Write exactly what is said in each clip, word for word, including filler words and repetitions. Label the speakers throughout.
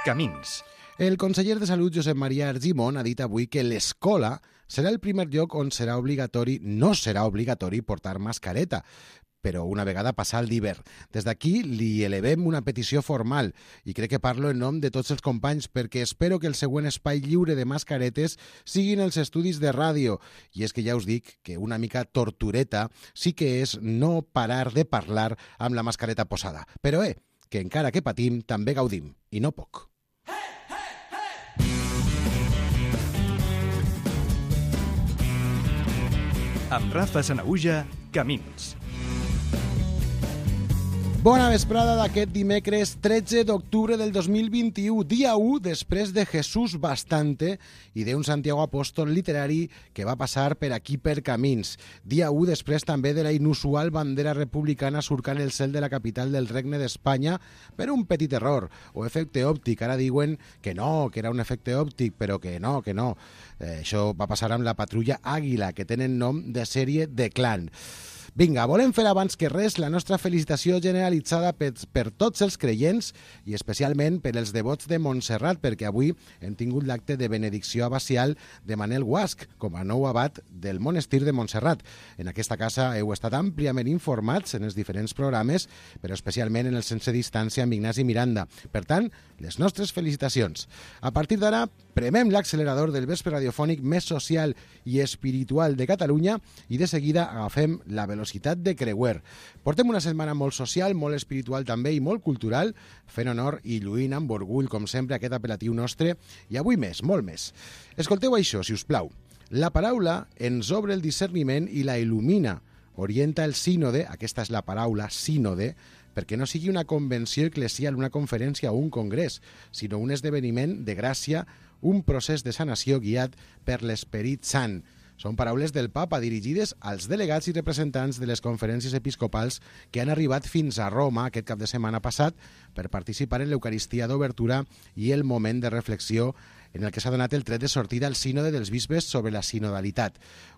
Speaker 1: Camins.
Speaker 2: El conseller de Salut, Josep Maria Argimon, ha dit avui que l'escola serà el primer lloc on serà obligatori, no serà obligatori portar mascareta, però una vegada passar l'hivern. Des d'aquí li elevem una petició formal i crec que parlo en nom de tots els companys perquè espero que el següent espai lliure de mascaretes siguin els estudis de ràdio. I és que ja us dic que una mica tortureta sí que és no parar de parlar amb la mascareta posada. Però eh, que encara que patim també gaudim, i no poc.
Speaker 1: Amb Rafa Sanahuja, Camins.
Speaker 2: Bona vesprada d'aquest dimecres tretze d'octubre del dos mil vint-i-u, dia u després de Jesús Bastante i d'un Santiago Apóstol literari que va passar per aquí per Camins. Dia u després també de la inusual bandera republicana surcant el cel de la capital del Regne d'Espanya per un petit error o efecte òptic. Ara diuen que no, que era un efecte òptic, però que no, que no. Eh, això va passar amb la patrulla Àguila, que tenen nom de sèrie de clan. Vinga, volem fer abans que res la nostra felicitació generalitzada per, per tots els creients i especialment per els devots de Montserrat, perquè avui hem tingut l'acte de benedicció abacial de Manel Guasch com a nou abat del monestir de Montserrat. En aquesta casa heu estat àmpliament informats en els diferents programes, però especialment en el Sense Distància amb Ignasi Miranda. Per tant, les nostres felicitacions. A partir d'ara, premem l'accelerador del vespre radiofònic més social i espiritual de Catalunya i de seguida agafem la velocitat de creuer. Portem una setmana molt social, molt espiritual també i molt cultural, fent honor i lluint amb orgull, com sempre, aquest apel·latiu nostre, i avui més, molt més. Escolteu això, si us plau. La paraula ens obre el discerniment i la il·lumina, orienta el sínode, aquesta és la paraula sínode, perquè no sigui una convenció eclesial, una conferència o un congrés, sinó un esdeveniment de gràcia, un procés de sanació guiat per l'Esperit Sant. Són paraules del papa dirigides als delegats i representants de les conferències episcopals que han arribat fins a Roma aquest cap de setmana passat per participar en l'Eucaristia d'obertura i el moment de reflexió en el que s'ha donat el tret de sortida al sínode dels bisbes sobre la sinodalitat.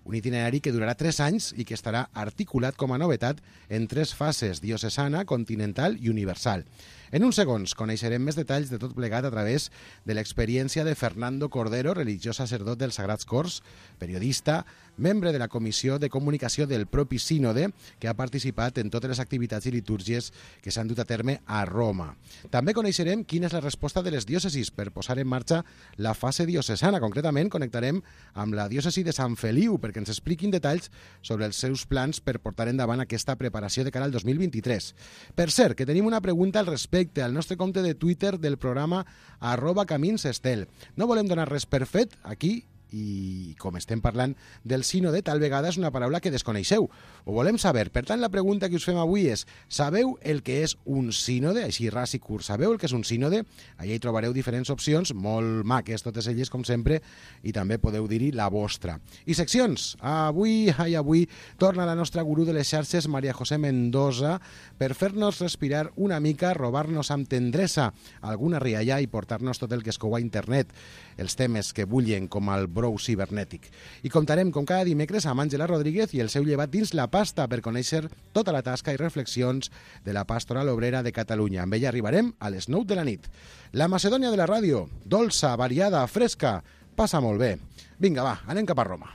Speaker 2: Un itinerari que durarà tres anys i que estarà articulat com a novetat en tres fases: diocesana, continental i universal. En uns segons coneixerem més detalls de tot plegat a través de l'experiència de Fernando Cordero, religiós sacerdot dels Sagrats Cors, periodista, membre de la Comissió de Comunicació del propi sínode, que ha participat en totes les activitats i litúrgies que s'han dut a terme a Roma. També coneixerem quina és la resposta de les diòcesis per posar en marxa la fase diocesana. Concretament, connectarem amb la diòcesi de Sant Feliu perquè ens expliquin detalls sobre els seus plans per portar endavant aquesta preparació de cara al dos mil vint-i-tres. Per cert, que tenim una pregunta al respecte al nostre compte de Twitter del programa arroba caminsestel. No volem donar res per fet aquí, i com estem parlant del sínode, tal vegada és una paraula que desconeixeu. Ho volem saber. Per tant, la pregunta que us fem avui és: sabeu el que és un sínode? Així, ras i curt, sabeu el que és un sínode? Allà hi trobareu diferents opcions, molt maques, totes elles, com sempre, i també podeu dir-hi la vostra. I seccions. Avui, ai, avui, torna la nostra gurú de les xarxes, Maria José Mendoza, per fer-nos respirar una mica, robar-nos amb tendresa alguna rialla i portar-nos tot el que es cou a internet, els temes que bullen com el brou cibernètic. I comptarem, com cada dimecres, amb Àngela Rodríguez i el seu llevat dins la pasta per conèixer tota la tasca i reflexions de la Pastoral Obrera de Catalunya. Amb ella arribarem a les nou de la nit. La Macedònia de la ràdio, dolça, variada, fresca, passa molt bé. Vinga, va, anem cap a Roma.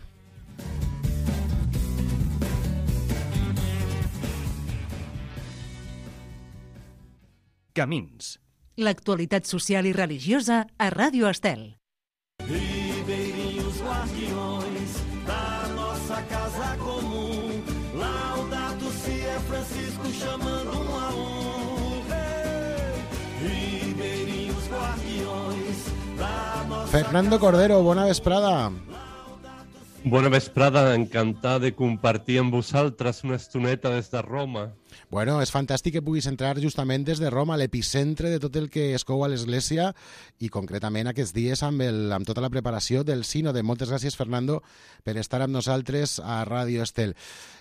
Speaker 1: Camins.
Speaker 3: L'actualitat social i religiosa a Ràdio Estel.
Speaker 4: Ribeirinhos guardiões da nossa casa comum, Laudato Si é Francisco chamando um a um. Hey! Ribeirinhos guardiões da nossa
Speaker 2: Fernando Cordero, bona vesprada.
Speaker 5: Bona vesprada, encantat de compartir amb vosaltres una estoneta des de Roma.
Speaker 2: Bueno, és fantàstic que puguis entrar justament des de Roma, l'epicentre de tot el que es cou a l'Església i concretament aquests dies amb, el, amb tota la preparació del sínode. Moltes gràcies, Fernando, per estar amb nosaltres a Ràdio Estel.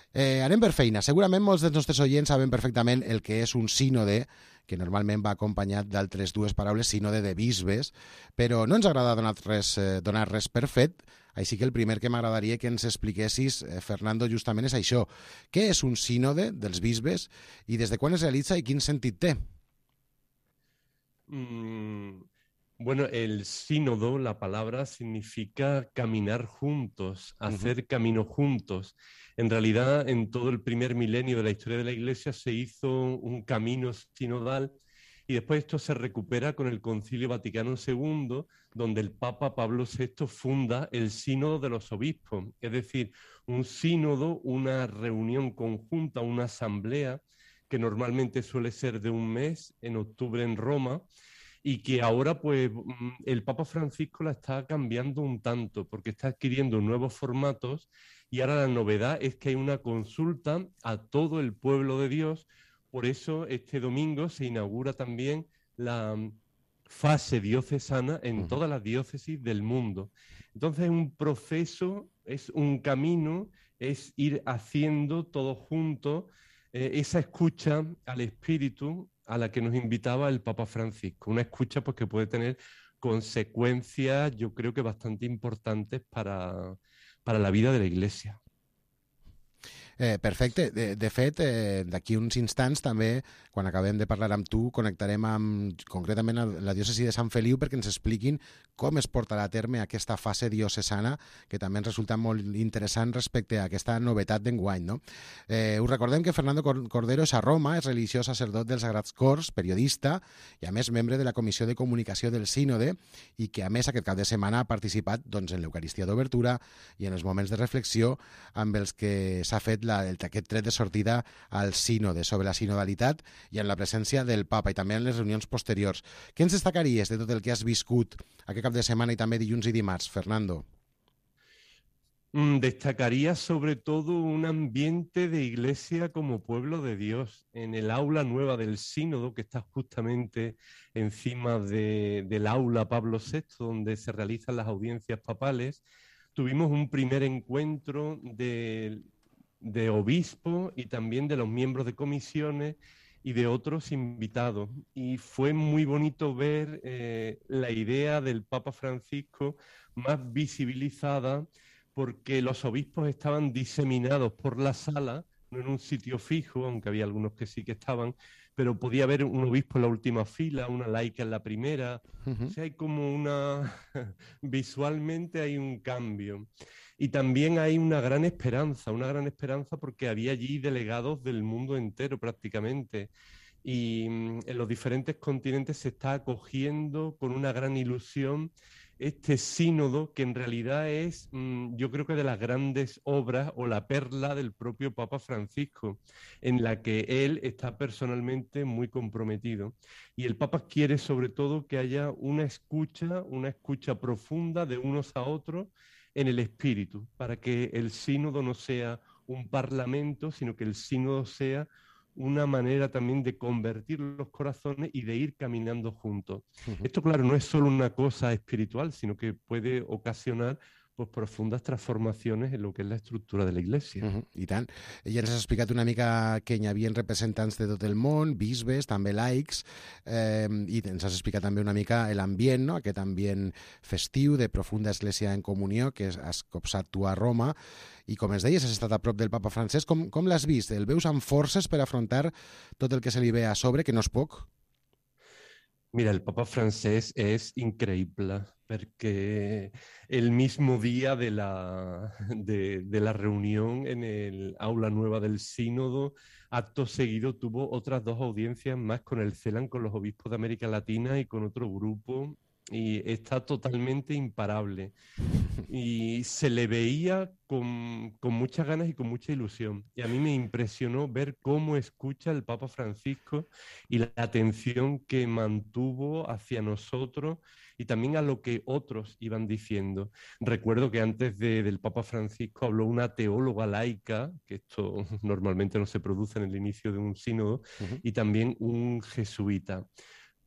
Speaker 2: Eh, anem per feina. Segurament molts dels nostres oients saben perfectament el que és un sínode, que normalment va acompanyat d'altres dues paraules, sínode de bisbes, però no ens agrada donar res, eh, donar res per fet, així que el primer que m'agradaria que ens expliquessis, eh, Fernando, justament és això. Què és un sínode dels bisbes i des de quan es realitza i quin sentit té?
Speaker 5: Mm, Bueno, el sínodo, la palabra significa caminar juntos, hacer uh-huh. camino juntos. En realidad, en todo el primer milenio de la historia de la Iglesia se hizo un camino sinodal y después esto se recupera con el Concilio Vaticano segundo, donde el Papa Pablo sexto funda el Sínodo de los Obispos, es decir, un sínodo, una reunión conjunta, una asamblea que normalmente suele ser de un mes, en octubre en Roma, y que ahora pues el Papa Francisco la está cambiando un tanto porque está adquiriendo nuevos formatos y ahora la novedad es que hay una consulta a todo el pueblo de Dios. Por eso este domingo se inaugura también la fase diocesana en todas las diócesis del mundo. Entonces es un proceso, es un camino, es ir haciendo todos juntos eh, esa escucha al Espíritu a la que nos invitaba el Papa Francisco. Una escucha pues, que puede tener consecuencias, yo creo que bastante importantes para, para la vida de la Iglesia.
Speaker 2: Eh, perfecte. De, de fet, eh, d'aquí uns instants també, quan acabem de parlar amb tu, connectarem amb, concretament a la diòcesi de Sant Feliu perquè ens expliquin com es portarà a terme aquesta fase diocesana, que també ens resulta molt interessant respecte a aquesta novetat d'enguany, no? Eh, us recordem que Fernando Cordero és a Roma, és religiós sacerdot dels Sagrats Cors, periodista i a més membre de la Comissió de Comunicació del Sínode i que a més aquest cap de setmana ha participat doncs, en l'Eucaristia d'obertura i en els moments de reflexió amb els que s'ha fet la, el, aquest tret de sortida al sínode sobre la sinodalitat i en la presència del Papa i també en les reunions posteriors. Què ens destacaries de tot el que has viscut aquest cap de setmana i també dilluns i dimarts, Fernando?
Speaker 5: Destacaría sobre todo un ambiente de iglesia como pueblo de Dios. En el aula nueva del sínodo, que está justamente encima de, del aula Pablo sexto, donde se realizan las audiencias papales, tuvimos un primer encuentro de, de obispos y también de los miembros de comisiones y de otros invitados. Y fue muy bonito ver eh, la idea del Papa Francisco más visibilizada, porque los obispos estaban diseminados por la sala, no en un sitio fijo, aunque había algunos que sí que estaban, pero podía haber un obispo en la última fila, una laica en la primera. Uh-huh. O sea, hay como una... visualmente hay un cambio. Y también hay una gran esperanza, una gran esperanza porque había allí delegados del mundo entero prácticamente. Y en los diferentes continentes se está acogiendo con una gran ilusión este sínodo, que en realidad es, yo creo que de las grandes obras o la perla del propio Papa Francisco, en la que él está personalmente muy comprometido. Y el Papa quiere sobre todo que haya una escucha, una escucha profunda de unos a otros en el espíritu, para que el sínodo no sea un parlamento, sino que el sínodo sea una manera también de convertir los corazones y de ir caminando juntos. Uh-huh. Esto, claro, no es solo una cosa espiritual, sino que puede ocasionar pues, profundas transformacions en lo que és la estructura de la Iglesia.
Speaker 2: Uh-huh. I tant. Ja ens has explicat una mica que hi havia representants de tot el món, bisbes, també laics, eh, i ens has explicat també una mica l'ambient, no? Aquest ambient festiu de profunda església en comunió que has copsat tu a Roma, i com ens deies, has estat a prop del Papa Francesc. Com, com l'has vist? El veus amb forces per afrontar tot el que se li ve a sobre, que no és poc?
Speaker 5: Mira, el Papa Francesc es increíble porque el mismo día de la, de, de la reunión en el aula nueva del sínodo, acto seguido tuvo otras dos audiencias más con el CELAM, con los obispos de América Latina y con otro grupo, y está totalmente imparable. Y se le veía con, con muchas ganas y con mucha ilusión. Y a mí me impresionó ver cómo escucha el Papa Francisco y la atención que mantuvo hacia nosotros y también a lo que otros iban diciendo. Recuerdo que antes de, del Papa Francisco habló una teóloga laica, que esto normalmente no se produce en el inicio de un sínodo, uh-huh. y también un jesuita.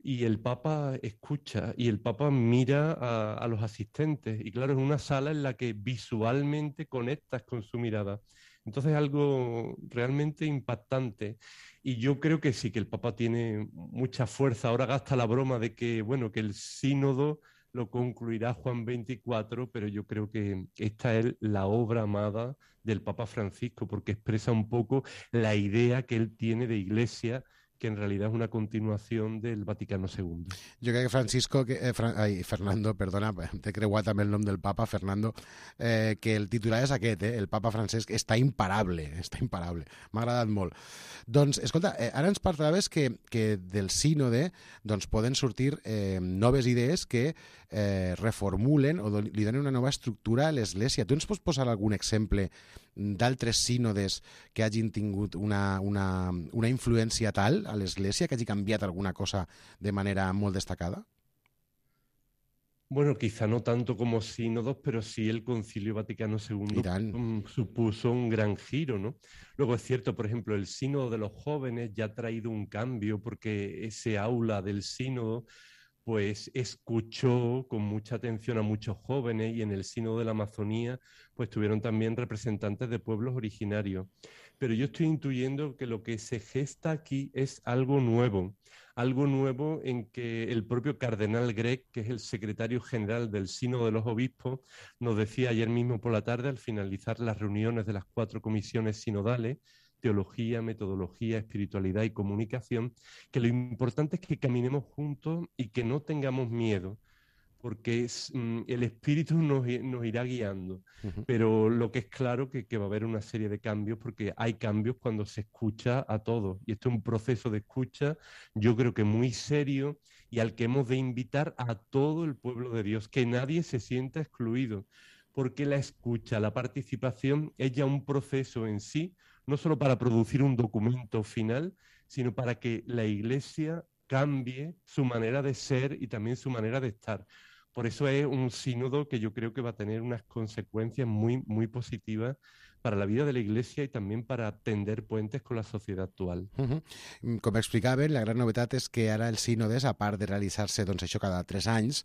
Speaker 5: Y el Papa escucha y el Papa mira a, a los asistentes. Y claro, es una sala en la que visualmente conectas con su mirada. Entonces es algo realmente impactante. Y yo creo que sí, que el Papa tiene mucha fuerza. Ahora gasta la broma de que, bueno, que el sínodo lo concluirá Juan veinticuatro, pero yo creo que esta es la obra amada del Papa Francisco, porque expresa un poco la idea que él tiene de iglesia que en realidad es una continuación del Vaticano segundo.
Speaker 2: Jo crec que Francisco, que, eh, Fra, ai, Fernando, perdona, t'he creuat també el nom del papa, Fernando, eh, que el titular és aquest, eh, el papa Francesc està imparable, està imparable, m'ha agradat molt. Doncs, escolta, eh, ara ens parlaves que, que del sínode doncs, poden sortir eh, noves idees que eh, reformulen o li donen una nova estructura a l'Església. Tu ens pots posar algun exemple d'altres sínodes que hagin tingut una, una, una influència tal a l'Església, que hagi canviat alguna cosa de manera molt destacada?
Speaker 5: Bueno, quizá no tanto como sínodos, pero sí el Concilio Vaticano segundo um, supuso un gran giro, ¿no? Luego es cierto, por ejemplo, el sínodo de los jóvenes ya ha traído un cambio porque ese aula del sínodo pues escuchó con mucha atención a muchos jóvenes y en el sínodo de la Amazonía pues tuvieron también representantes de pueblos originarios. Pero yo estoy intuyendo que lo que se gesta aquí es algo nuevo, algo nuevo en que el propio cardenal Grech, que es el secretario general del Sínodo de los Obispos, nos decía ayer mismo por la tarde al finalizar las reuniones de las cuatro comisiones sinodales, teología, metodología, espiritualidad y comunicación, que lo importante es que caminemos juntos y que no tengamos miedo, porque es, mm, el Espíritu nos, nos irá guiando. Uh-huh. Pero lo que es claro que, que va a haber una serie de cambios, porque hay cambios cuando se escucha a todos. Y esto es un proceso de escucha, yo creo que muy serio, y al que hemos de invitar a todo el pueblo de Dios, que nadie se sienta excluido, porque la escucha, la participación es ya un proceso en sí, no solo para producir un documento final, sino para que la Iglesia cambie su manera de ser y también su manera de estar. Por eso es un sínodo que yo creo que va a tener unas consecuencias muy, muy positivas para la vida de la Iglesia y también para tender puentes con la sociedad actual.
Speaker 2: Uh-huh. Com explicaven, la gran novetat és que ara els sínodes, a part de realitzar-se doncs, això cada tres anys,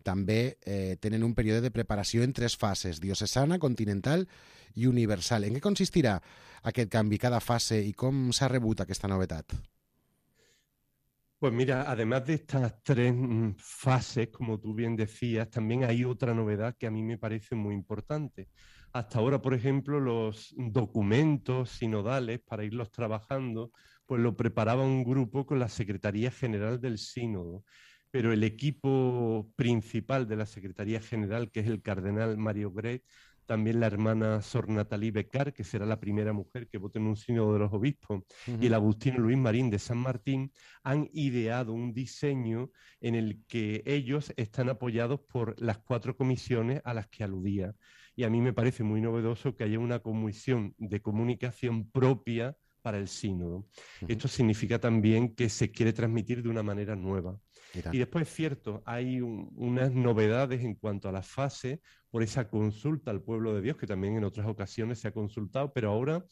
Speaker 2: també eh, tenen un període de preparació en tres fases, diocesana, continental i universal. En què consistirà aquest canvi, cada fase, i com s'ha rebut aquesta novetat?
Speaker 5: Pues mira, además de estas tres fases, como tú bien decías, también hay otra novedad que a mí me parece muy importante. Hasta ahora, por ejemplo, los documentos sinodales, para irlos trabajando, pues lo preparaba un grupo con la Secretaría General del Sínodo. Pero el equipo principal de la Secretaría General, que es el cardenal Mario Grech, también la hermana Sor Natalie Becar, que será la primera mujer que vote en un sínodo de los obispos, uh-huh. y el agustino Luis Marín de San Martín, han ideado un diseño en el que ellos están apoyados por las cuatro comisiones a las que aludía. Y a mí me parece muy novedoso que haya una comisión de comunicación propia para el sínodo. Uh-huh. Esto significa también que se quiere transmitir de una manera nueva. Y después es cierto, hay un, unas novedades en cuanto a la fase por esa consulta al pueblo de Dios, que también en otras ocasiones se ha consultado, pero ahora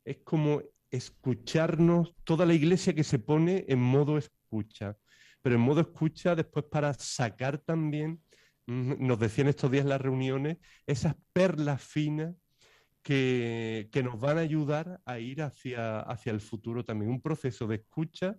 Speaker 5: es como escucharnos, toda la Iglesia que se pone en modo escucha, pero en modo escucha después para sacar también, nos decían estos días en las reuniones, esas perlas finas que, que nos van a ayudar a ir hacia, hacia el futuro también, un proceso de escucha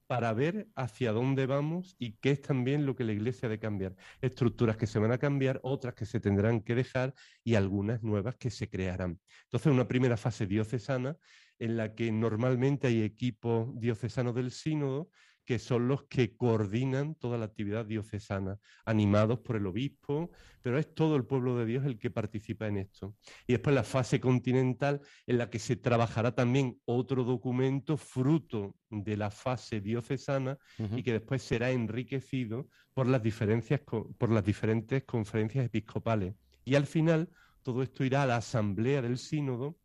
Speaker 5: para ver hacia dónde vamos y qué es también lo que la Iglesia ha de cambiar. Estructuras que se van a cambiar, otras que se tendrán que dejar y algunas nuevas que se crearán. Entonces, una primera fase diocesana en la que normalmente hay equipos diocesanos del sínodo que son los que coordinan toda la actividad diocesana, animados por el obispo, pero es todo el pueblo de Dios el que participa en esto. Y después la fase continental, en la que se trabajará también otro documento fruto de la fase diocesana, uh-huh. y que después será enriquecido por las, diferencias, por las diferentes conferencias episcopales. Y al final, todo esto irá a la asamblea del sínodo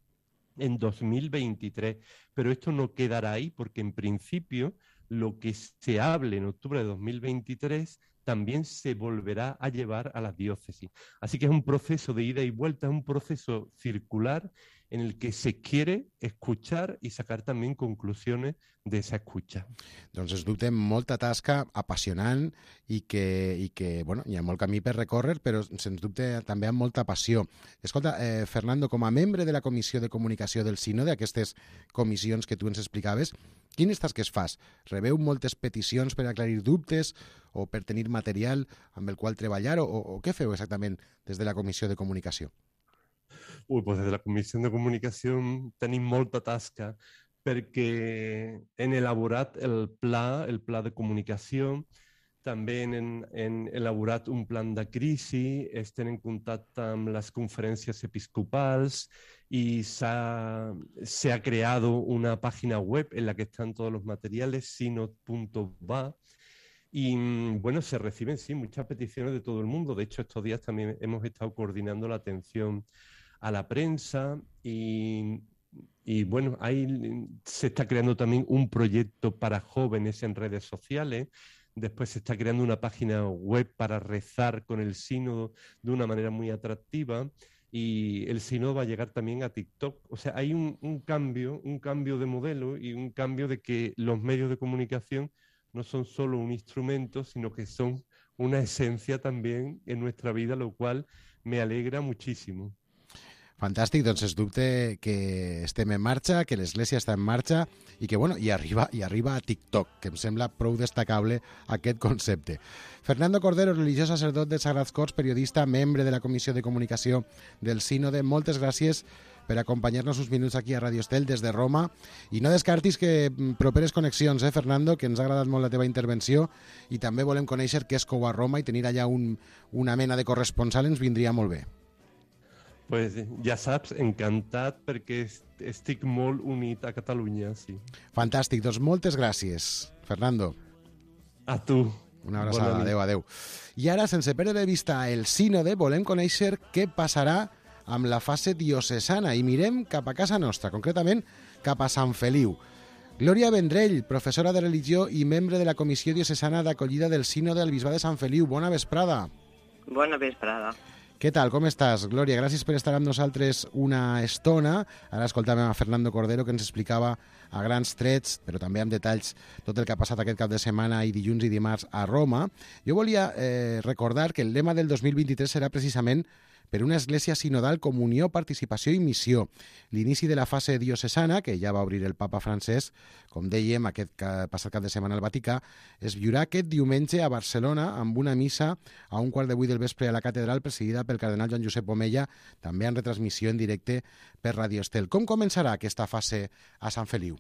Speaker 5: en dos mil veintitrés, pero esto no quedará ahí porque en principio lo que se hable en octubre de dos mil veintitrés también se volverá a llevar a las diócesis. Así que es un proceso de ida y vuelta, es un proceso circular en el que se quiere escuchar i sacar també conclusions de esa escucha.
Speaker 2: Doncs es dubte molta tasca apassionant i que, i que bueno, hi ha molt camí per recórrer, però sens dubte també amb molta passió. Escolta, eh, Fernando, com a membre de la Comissió de Comunicació del Sínode, aquestes comissions que tu ens explicaves, quines tasques fas? Rebeu moltes peticions per aclarir dubtes o per tenir material amb el qual treballar o, o què feu exactament des de la Comissió de Comunicació?
Speaker 5: Uy, pues desde la Comisión de Comunicación tenim molta tasca, perquè hem elaborat el pla, el pla de comunicació, també hem, hem elaborat un plan de crisi, estem en contacte amb les conferències episcopals y se ha, se ha creado una página web en la que están todos los materiales, sinod punto va. Y bueno, se reciben, sí, muchas peticiones de todo el mundo. De hecho, estos días también hemos estado coordinando la atención a la prensa y, y bueno, ahí se está creando también un proyecto para jóvenes en redes sociales. Después se está creando una página web para rezar con el sínodo de una manera muy atractiva y el sínodo va a llegar también a TikTok. O sea, hay un, un cambio, un cambio de modelo y un cambio de que los medios de comunicación no son solo un instrumento, sino que son una esencia también en nuestra vida, lo cual me alegra muchísimo.
Speaker 2: Fantàstic, doncs es dubte que estem en marxa, que l'Església està en marxa i que, bueno, i arriba, i arriba a TikTok, que em sembla prou destacable aquest concepte. Fernando Cordero, religiós sacerdot de Sagrats Cors, periodista, membre de la Comissió de Comunicació del Sínode, moltes gràcies per acompanyar-nos uns minuts aquí a Radio Estel des de Roma. I no descartis que properes connexions, eh, Fernando, que ens ha agradat molt la teva intervenció i també volem conèixer què és cou a Roma i tenir allà un, una mena de corresponsal ens vindria molt bé.
Speaker 5: Pues ja saps, encantat perquè estic molt unit a Catalunya, sí.
Speaker 2: Fantàstic, doncs moltes gràcies, Fernando.
Speaker 5: A tu.
Speaker 2: Una abraçada, adeu, adeu. I ara, sense perdre de vista el sínode, volem conèixer què passarà amb la fase diocesana i mirem cap a casa nostra, concretament cap a Sant Feliu. Glòria Vendrell, professora de religió i membre de la Comissió Diocesana d'Acollida del Sínode al Bisbat de Sant Feliu. Bona vesprada.
Speaker 6: Bona vesprada.
Speaker 2: Què tal, com estàs, Glòria? Gràcies per estar amb nosaltres una estona. Ara escoltàvem a Fernando Cordero, que ens explicava a grans trets, però també amb detalls, tot el que ha passat aquest cap de setmana i dilluns i dimarts a Roma. Jo volia eh, recordar que el lema del dos mil vint-i-tres serà precisament per una església sinodal, comunió, participació i missió. L'inici de la fase diocesana, que ja va obrir el papa Francesc, com dèiem, aquest passat cap de setmana al Vaticà, es viurà aquest diumenge a Barcelona amb una missa a un quart de vuit del vespre a la catedral presidida pel cardenal Joan Josep Omella, també en retransmissió en directe per Radio Estel. Com començarà aquesta fase a Sant Feliu?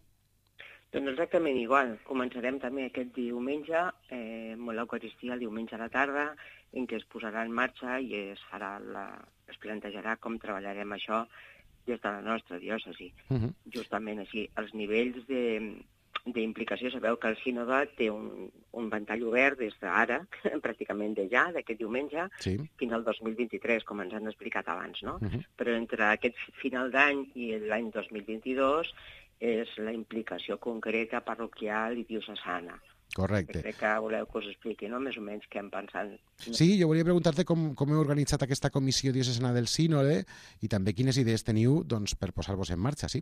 Speaker 6: Doncs exactament igual. Començarem també aquest diumenge, eh, amb l'Eucaristia el diumenge a la tarda, en què es posarà en marxa i es farà la, es plantejarà com treballarem això des de la nostra diòcesi. Uh-huh. Justament així, els nivells de, d'implicació, sabeu que el sínode té un, un ventall obert des d'ara, pràcticament de ja, d'aquest diumenge, sí, fins al dos mil vint-i-tres, com ens han explicat abans, no? Uh-huh. Però entre aquest final d'any i l'any dos mil vint-i-dos és la implicació concreta parroquial i diocesana.
Speaker 2: Correcte.
Speaker 6: Crec que voleu que us expliqui, no?, més o menys què hem pensat.
Speaker 2: Sí, jo volia preguntar-te com, com heu organitzat aquesta comissió diocesana del sínode i també quines idees teniu, doncs, per posar-vos en marxa, sí?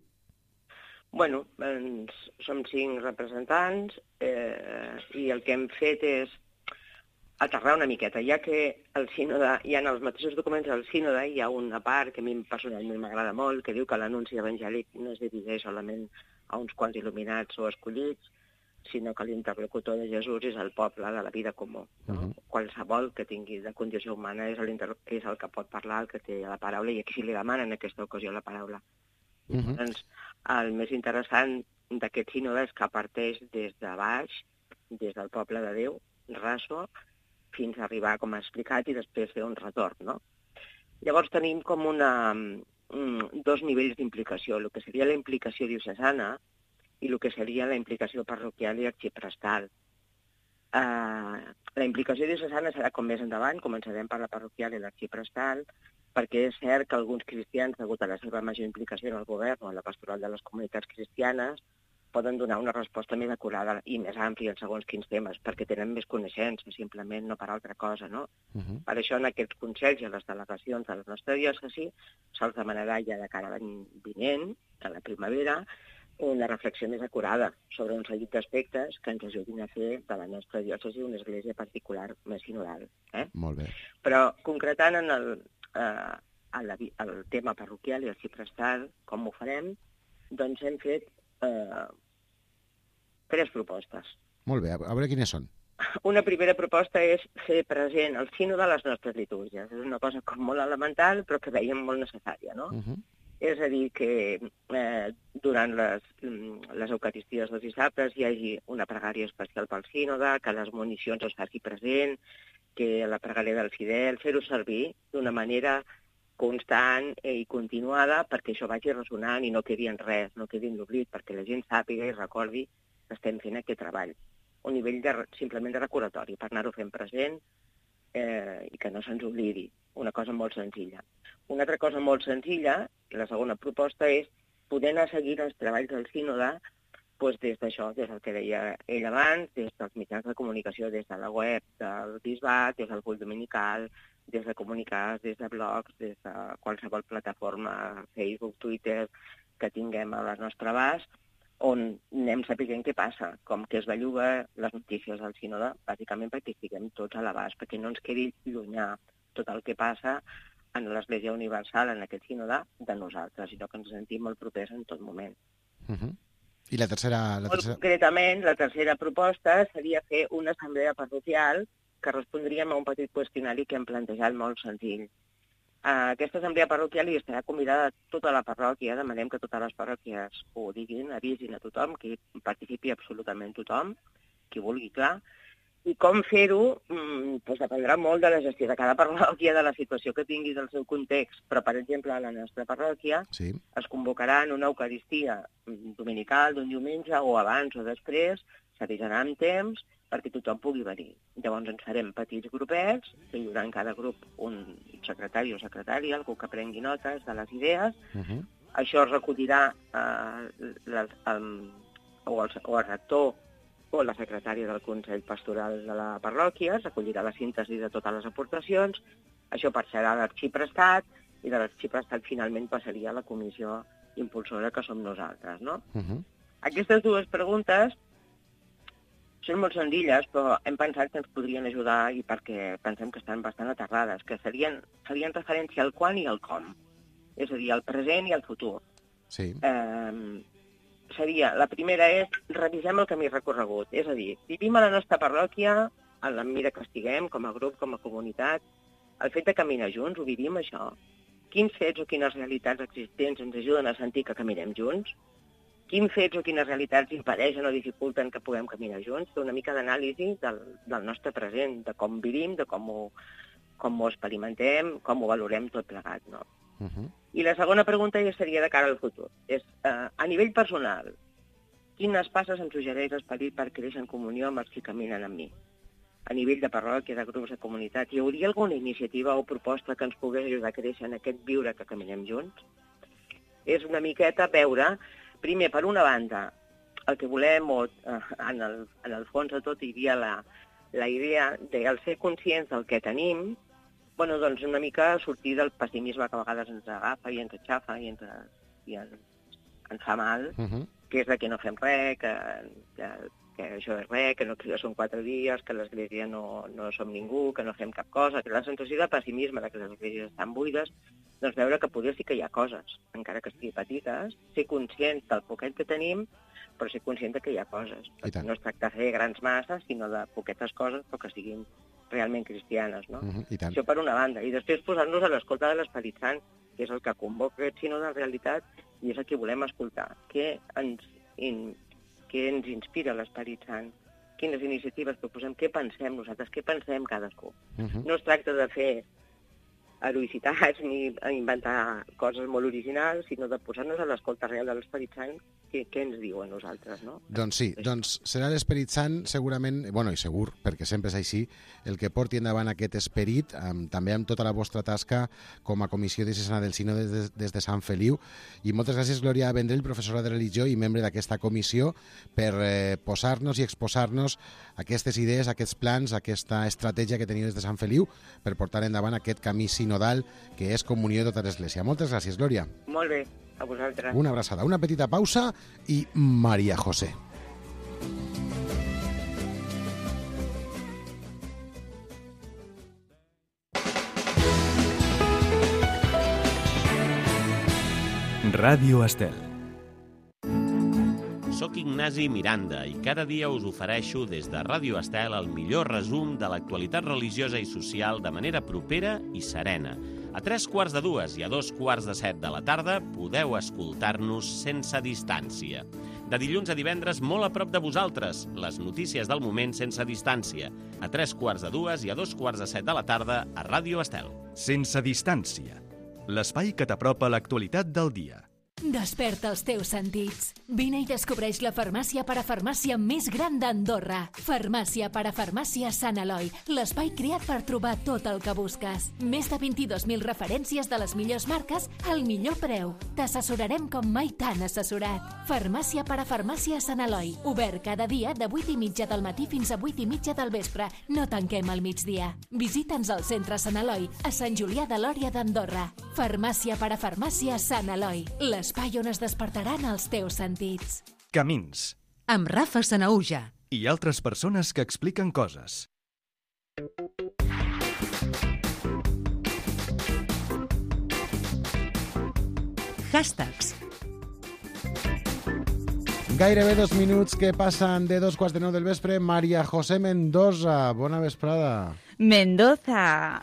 Speaker 6: Bueno, ens, som cinc representants eh, i el que hem fet és aterrar una miqueta, ja que el sínode, hi ha en els mateixos documents del sínode, hi ha una part que a mi personalment m'agrada molt, que diu que l'anunci evangèlic no es dirigeix solament a uns quants il·luminats o escollits, sinó que l'interlocutor de Jesús és el poble de la vida comú. No? Uh-huh. Qualsevol que tingui de condició humana és el, és el que pot parlar, el que té la paraula, i aquí sí li demanen en aquesta ocasió la paraula. Uh-huh. Doncs el més interessant d'aquest sínode és que parteix des de baix, des del poble de Déu, raso, fins a arribar, com ha explicat, i després fer un retorn, no? Llavors tenim com una, dos nivells d'implicació, el que seria la implicació diocesana i el que seria la implicació parroquial i arxiprestal. Uh, la implicació diocesana serà com més endavant, començarem per la parroquial i l'arxiprestal, perquè és cert que alguns cristians, degut a la seva major implicació en el govern o en la pastoral de les comunitats cristianes, poden donar una resposta més acurada i més àmplia en segons quins temes, perquè tenen més coneixença, simplement, no per altra cosa, no? Uh-huh. Per això en aquests consells i a les delegacions de la nostra diòcesi se'ls demanarà ja de cara a l'any vinent, a la primavera, una reflexió més acurada sobre un seguit d'aspectes que ens ajudin a fer de la nostra diòcesi una església particular més sinodal. Eh?
Speaker 2: Molt bé.
Speaker 6: Però concretant en el, eh, el, el tema parroquial i arxiprestal, com ho farem, doncs hem fet eh, tres propostes.
Speaker 2: Molt bé, a veure quines són.
Speaker 6: Una primera proposta és fer present el sínode a les nostres litúrgies. És una cosa com molt elemental, però que veiem molt necessària, no? Uh-huh. És a dir, que eh, durant les, les eucaristies dels dissabtes hi hagi una pregària especial pel sínode, que les municions es faci present, que la pregària del fidel, fer-ho servir d'una manera constant i continuada perquè això vagi ressonant i no quedi en res, no quedi en l'oblit, perquè la gent sàpiga i recordi que estem fent aquest treball. Un nivell de, simplement de recordatori, per anar-ho fent present eh, i que no se'ns oblidi. Una cosa molt senzilla. Una altra cosa molt senzilla, la segona proposta, és poder anar seguint els treballs del sínode doncs des d'això, des del que deia ell abans, des dels mitjans de comunicació, des de la web del bisbat, des del bull dominical, des de comunicats, des de blogs, des de qualsevol plataforma, Facebook, Twitter, que tinguem a la nostra abast, on anem sapiguent què passa, com que es belluga les notícies del sínode, bàsicament perquè estiguem tots a l'abast, perquè no ens quedi llunyà tot el que passa en l'Església Universal, en aquest sínode, de nosaltres, sinó que ens sentim molt propers en tot moment.
Speaker 2: Uh-huh. I la tercera... La
Speaker 6: molt
Speaker 2: tercera...
Speaker 6: concretament, la tercera proposta seria fer una assemblea parroquial que respondríem a un petit qüestionari que hem plantejat molt senzill. A aquesta assemblea parroquial hi estarà convidada tota la parròquia, demanem que totes les parròquies ho diguin, avisin a tothom, que hi participi absolutament tothom, qui vulgui, clar. I com fer-ho doncs dependrà molt de la gestió de cada parròquia, de la situació que tingui del seu context. Però, per exemple, a la nostra parròquia
Speaker 2: sí.
Speaker 6: es convocarà en una eucaristia dominical d'un diumenge o abans o després, s'avisarà amb temps perquè tothom pugui venir. Llavors ens farem petits grupets, que hi haurà en cada grup un secretari o secretària, algú que prengui notes de les idees.
Speaker 2: Uh-huh.
Speaker 6: Això es recollirà eh, la, um, o, el, o el rector o la secretària del Consell Pastoral de la parròquia, recollirà la síntesi de totes les aportacions, això passarà a l'arxiprestat, i de l'arxiprestat finalment passaria a la comissió impulsora que som nosaltres, no?
Speaker 2: Uh-huh.
Speaker 6: Aquestes dues preguntes són molt senzilles, però hem pensat que ens podrien ajudar i perquè pensem que estan bastant aterrades, que serien, farien referència al quan i al com, és a dir, al present i al futur.
Speaker 2: Sí.
Speaker 6: Eh, seria, la primera és, revisem el camí recorregut, és a dir, vivim a la nostra parròquia, a la mida que estiguem, com a grup, com a comunitat, el fet de caminar junts, ho vivim això? Quins fets o quines realitats existents ens ajuden a sentir que caminem junts? Quins fets o quines realitats impedeixen o dificulten que puguem caminar junts? Fer una mica d'anàlisi del, del nostre present, de com vivim, de com ho, com ho experimentem, com ho valorem tot plegat, no?
Speaker 2: Uh-huh.
Speaker 6: I la segona pregunta ja seria de cara al futur. És, eh, a nivell personal, quines passes em suggereix l'esperit per créixer en comunió amb els que caminen amb mi? A nivell de parròquia, de grups de comunitat, hi hauria alguna iniciativa o proposta que ens pogués ajudar a créixer en aquest viure que caminem junts? És una miqueta veure, primer, per una banda, el que volem, o eh, en, el, en el fons de tot hi havia la, la idea de el ser conscients del que tenim, bueno, doncs una mica sortir del pessimisme que a vegades ens agafa i ens aixafa i ens, i ens, ens fa mal,
Speaker 2: Uh-huh.
Speaker 6: que és de que no fem res, que, que, que això és res, que no que són quatre dies, que l'església no, no som ningú, que no fem cap cosa, que la sensació de pessimisme, de que les esglésies estan buides, doncs veure que potser sí que hi ha coses, encara que estigui petites, ser conscients del poquet que tenim, però ser conscient que hi ha coses. Perquè no es tracta de fer grans masses, sinó de poquetes coses, però que siguin realment cristianes, no?
Speaker 2: Uh-huh. I tant.
Speaker 6: Això per una banda. I després posar-nos a l'escolta de l'Esperit Sant, que és el que convoca aquest sínode en realitat, i és el que volem escoltar. Què ens, in, què ens inspira l'Esperit Sant? Quines iniciatives proposem? Què pensem nosaltres? Què pensem cadascú?
Speaker 2: Uh-huh.
Speaker 6: No es tracta de fer heroïcitats ni inventar coses molt originals, sinó de posar-nos a l'escolta real de l'Esperit Sant, què, què ens diu a nosaltres, no?
Speaker 2: Doncs sí, doncs serà l'Esperit Sant segurament, bueno, i segur, perquè sempre és així, el que porti endavant aquest esperit, amb, també amb tota la vostra tasca com a Comissió Diocesana del Sínode des, des de Sant Feliu. I moltes gràcies, Glòria Vendrell, professora de religió i membre d'aquesta comissió, per eh, posar-nos i exposar-nos aquestes idees, aquests plans, aquesta estratègia que teniu des de Sant Feliu per portar endavant aquest camí sinodal que és comunió de tota l'Església. Moltes gràcies, Glòria.
Speaker 6: Molt bé, a vosaltres.
Speaker 2: Una abraçada, una petita pausa i Maria José.
Speaker 1: Ràdio Estel.
Speaker 7: Soc Ignasi Miranda i cada dia us ofereixo des de Ràdio Estel el millor resum de l'actualitat religiosa i social de manera propera i serena. A tres quarts de dues i a dos quarts de set de la tarda podeu escoltar-nos sense distància. De dilluns a divendres, molt a prop de vosaltres, les notícies del moment sense distància. A tres quarts de dues i a dos quarts de set de la tarda a Ràdio Estel.
Speaker 1: Sense distància. L'espai que t'apropa l'actualitat del dia.
Speaker 8: Desperta els teus sentits. Vine i descobreix la farmàcia parafarmàcia més gran d'Andorra. Farmàcia parafarmàcia Sant Eloi, l'espai creat per trobar tot el que busques. Més de vint-i-dos mil referències de les millors marques al millor preu. T'assessorarem com mai t'han assessorat. Farmàcia parafarmàcia Sant Eloi, obert cada dia de vuit i mitja del matí fins a vuit i mitja del vespre. No tanquem al migdia. Visita'ns al centre Sant Eloi, a Sant Julià de Lòria d'Andorra. Farmàcia parafarmàcia Sant Eloi, l'espai on es despertaran els teus sentits.
Speaker 1: Camins.
Speaker 3: Amb Rafa Sanaúja.
Speaker 1: I altres persones que expliquen coses.
Speaker 3: Hashtags.
Speaker 2: Gairebé dos minuts que passen de dos quarts de nou del vespre. Maria José Mendoza, bona vesprada.
Speaker 9: Mendoza.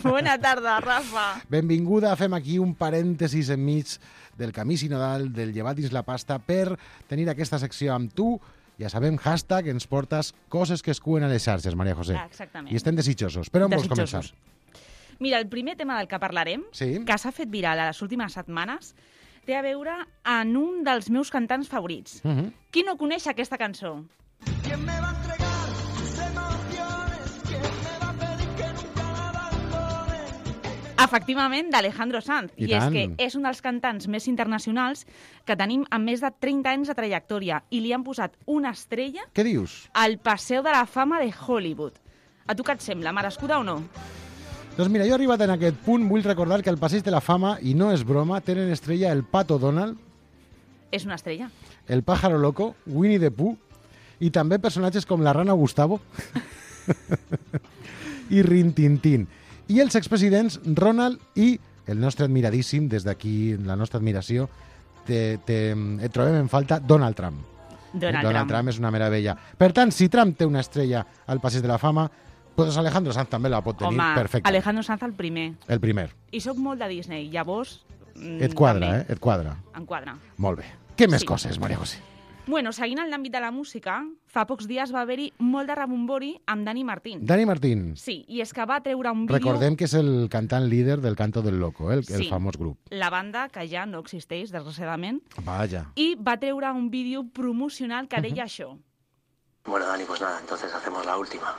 Speaker 9: Bona tarda, Rafa.
Speaker 2: Benvinguda. Fem aquí un parèntesis enmig del camí sinodal, del llevat dins la pasta, per tenir aquesta secció amb tu. Ja sabem, hashtag, ens portes coses que es cuen a les xarxes, Maria José.
Speaker 9: Ah, exactament.
Speaker 2: I estem desitjosos. Per on vols començar?
Speaker 9: Mira, el primer tema del que parlarem,
Speaker 2: sí?
Speaker 9: que s'ha fet viral a les últimes setmanes, té a veure en un dels meus cantants favorits.
Speaker 2: Uh -huh.
Speaker 9: Qui no coneix aquesta cançó?
Speaker 4: ¿Quién me va a entregar sus emociones? ¿Quién me va a pedir que nunca la abandone?
Speaker 9: Efectivament, d'Alejandro Sanz.
Speaker 2: I,
Speaker 9: I és que és un dels cantants més internacionals que tenim amb més de trenta anys de trajectòria i li han posat una estrella
Speaker 2: Què dius?
Speaker 9: al Paseo de la Fama de Hollywood. A tu què et sembla, merescuda o no?
Speaker 2: Doncs mira, jo arribat en aquest punt vull recordar que el Passeig de la Fama, i no és broma, tenen estrella el Pato Donald,
Speaker 9: És una estrella.
Speaker 2: el Pájaro Loco, Winnie the Pooh, i també personatges com la Rana Gustavo i Rin Tin Tin. I els expresidents Ronald i el nostre admiradíssim, des d'aquí la nostra admiració, te, te, et trobem en falta Donald Trump.
Speaker 9: Donald,
Speaker 2: Donald
Speaker 9: Trump.
Speaker 2: Trump és una meravella. Per tant, si Trump té una estrella al Passeig de la Fama, doncs Alejandro Sanz també la pot tenir
Speaker 9: Home,
Speaker 2: perfecta.
Speaker 9: Alejandro Sanz el primer.
Speaker 2: El primer.
Speaker 9: I sóc molt de Disney, llavors... mm,
Speaker 2: Et quadra,
Speaker 9: també.
Speaker 2: eh? Et quadra.
Speaker 9: Em quadra.
Speaker 2: Molt bé. Què més
Speaker 9: Sí.
Speaker 2: coses, Maria José?
Speaker 9: Bueno, seguint en l'àmbit de la música, fa pocs dies va haver-hi molt de rebombori amb Dani Martín.
Speaker 2: Dani Martín.
Speaker 9: Sí, i és que va treure un vídeo...
Speaker 2: Recordem que és el cantant líder del Canto del Loco, eh? el, el
Speaker 9: Sí.
Speaker 2: famós grup.
Speaker 9: La banda, que ja no existeix, desgraciadament,
Speaker 2: Vaja.
Speaker 9: i va treure un vídeo promocional que deia això.
Speaker 10: Bueno, Dani, pues nada, entonces hacemos la última.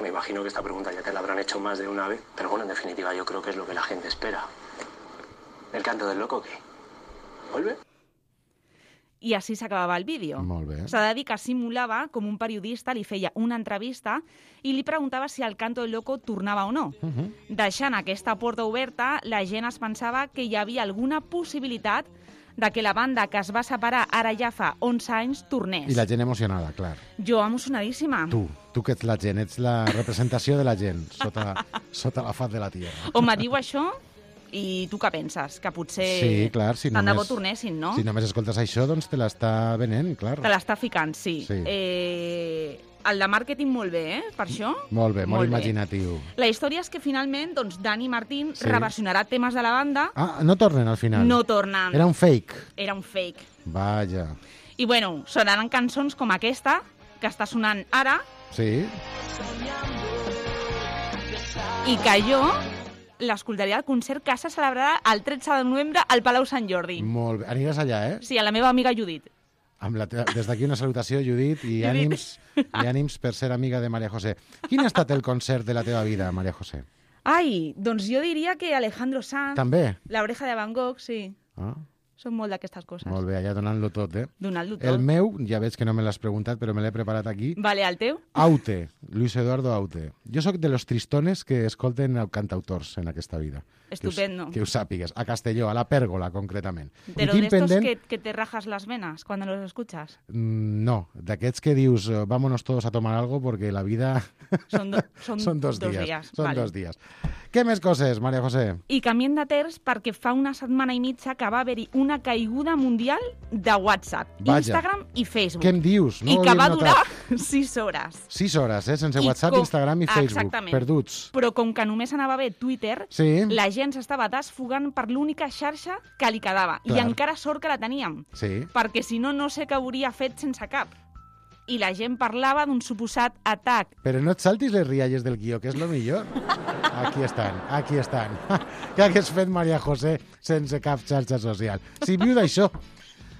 Speaker 10: Me imagino que esta pregunta ya te la habrán hecho más de una vez, pero bueno, en definitiva yo creo que es lo que la gente espera. ¿El canto del loco qué? ¿Vuelve?
Speaker 9: I així s'acabava el vídeo.
Speaker 2: Molt bé.
Speaker 9: S'ha de dir que simulava com un periodista li feia una entrevista i li preguntava si el Canto del Loco tornava o no.
Speaker 2: Uh -huh.
Speaker 9: Deixant aquesta porta oberta, la gent es pensava que hi havia alguna possibilitat de que la banda que es va separar ara ja fa onze anys tornés.
Speaker 2: I la gent emocionada, clar.
Speaker 9: Jo emocionadíssima.
Speaker 2: Tu, tu que ets la gent, ets la representació de la gent sota, sota la faz de la tierra.
Speaker 9: Home, diu això i tu què penses? Que potser
Speaker 2: Sí, clar, si
Speaker 9: tant de bo
Speaker 2: només,
Speaker 9: tornessin, no?
Speaker 2: si només escoltes això, doncs te l'està venent, clar.
Speaker 9: Te l'està ficant, sí.
Speaker 2: Sí.
Speaker 9: Eh, el de màrqueting molt bé, eh? Per això.
Speaker 2: Molt bé, molt,
Speaker 9: Molt bé.
Speaker 2: imaginatiu.
Speaker 9: La història és que finalment doncs, Dani Martín
Speaker 2: Sí.
Speaker 9: reversionarà temes de la banda.
Speaker 2: Ah, no tornen al final?
Speaker 9: No tornen.
Speaker 2: Era un fake.
Speaker 9: Era un fake.
Speaker 2: Vaja.
Speaker 9: I bueno, sonaran cançons com aquesta, que està sonant ara,
Speaker 2: Sí?
Speaker 9: i que jo l'escoltaria al concert que se celebrarà el tretze de novembre al Palau Sant Jordi.
Speaker 2: Molt bé. Aniràs allà, eh?
Speaker 9: Sí, a la meva amiga Judit.
Speaker 2: Amb la teva... Des d'aquí una salutació, Judit, i
Speaker 9: Judit.
Speaker 2: ànims, i ànims per ser amiga de Maria José. Quin ha estat el concert de la teva vida, Maria José?
Speaker 9: Ai, doncs jo diria que Alejandro Sanz,
Speaker 2: També?
Speaker 9: La Oreja de Van Gogh, sí.
Speaker 2: Ah,
Speaker 9: Són molt d'aquestes coses.
Speaker 2: molt bé, allà donant-lo tot, eh?
Speaker 9: Donant-lo tot.
Speaker 2: El meu, ja veig que no me l'has preguntat, però me l'he preparat aquí.
Speaker 9: Vale, el teu?
Speaker 2: Aute, Luis Eduardo Aute. Jo sóc de los tristones que escolten cantautors en aquesta vida.
Speaker 9: Estupendo.
Speaker 2: Que us, que us sàpigues. A Castelló, a la Pèrgola, concretament.
Speaker 9: Pero
Speaker 2: I
Speaker 9: de
Speaker 2: tinc
Speaker 9: estos
Speaker 2: pendent...
Speaker 9: que, que te rajas las venas cuando los escuchas.
Speaker 2: Mm, No, d'aquests que dius eh, vámonos todos a tomar algo porque la vida
Speaker 9: Son, do, son,
Speaker 2: són dos,
Speaker 9: dos
Speaker 2: dies.
Speaker 9: días.
Speaker 2: Són
Speaker 9: vale.
Speaker 2: dos dies. Què més coses, Maria José?
Speaker 9: I canviem de terç perquè fa una setmana i mitja que va haver-hi una caiguda mundial de WhatsApp,
Speaker 2: Vaja.
Speaker 9: Instagram i Facebook.
Speaker 2: Què em dius? No
Speaker 9: I
Speaker 2: ho
Speaker 9: que
Speaker 2: havia
Speaker 9: va
Speaker 2: notat.
Speaker 9: durar sis hores.
Speaker 2: Sis hores, eh? Sense
Speaker 9: I
Speaker 2: WhatsApp,
Speaker 9: com-
Speaker 2: Instagram i Facebook.
Speaker 9: Exactament.
Speaker 2: Perduts.
Speaker 9: Però com que només anava bé Twitter,
Speaker 2: Sí.
Speaker 9: la gent s'estava desfogant per l'única xarxa que li quedava.
Speaker 2: Clar.
Speaker 9: I encara sort que la teníem,
Speaker 2: Sí.
Speaker 9: perquè si no, no sé què hauria fet sense cap. I la gent parlava d'un suposat atac.
Speaker 2: Però no et saltis les rialles del guió, que és lo millor. Aquí estan, aquí estan. Què hagués fet Maria José sense cap xarxa social? Si viu d'això,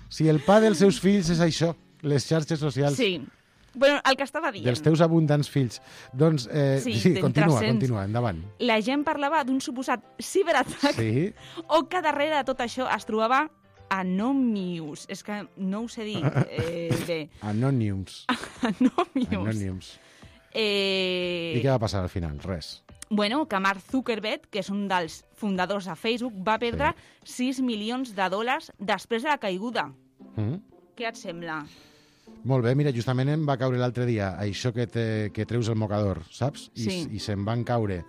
Speaker 2: si el pa dels seus fills és això, les xarxes socials
Speaker 9: Sí. Bueno, el que estava dient.
Speaker 2: dels teus abundants fills. Doncs, eh,
Speaker 9: Sí,
Speaker 2: sí,
Speaker 9: d'entre
Speaker 2: continua,
Speaker 9: cents.
Speaker 2: continua, endavant.
Speaker 9: La gent parlava d'un suposat ciberatac
Speaker 2: Sí,
Speaker 9: o que darrere de tot això es trobava Anonymous. És que no ho sé dir eh, bé.
Speaker 2: Anònims.
Speaker 9: Anonymous.
Speaker 2: Anònims.
Speaker 9: Eh...
Speaker 2: I què va passar al final? Res.
Speaker 9: Bueno, que Mark Zuckerberg, que és un dels fundadors de Facebook, va perdre sis milions de dòlars després de la caiguda.
Speaker 2: Mm.
Speaker 9: Què et sembla?
Speaker 2: Molt bé, mira, justament em va caure l'altre dia això que, te, que treus el mocador, saps? I,
Speaker 9: Sí.
Speaker 2: I se'm van caure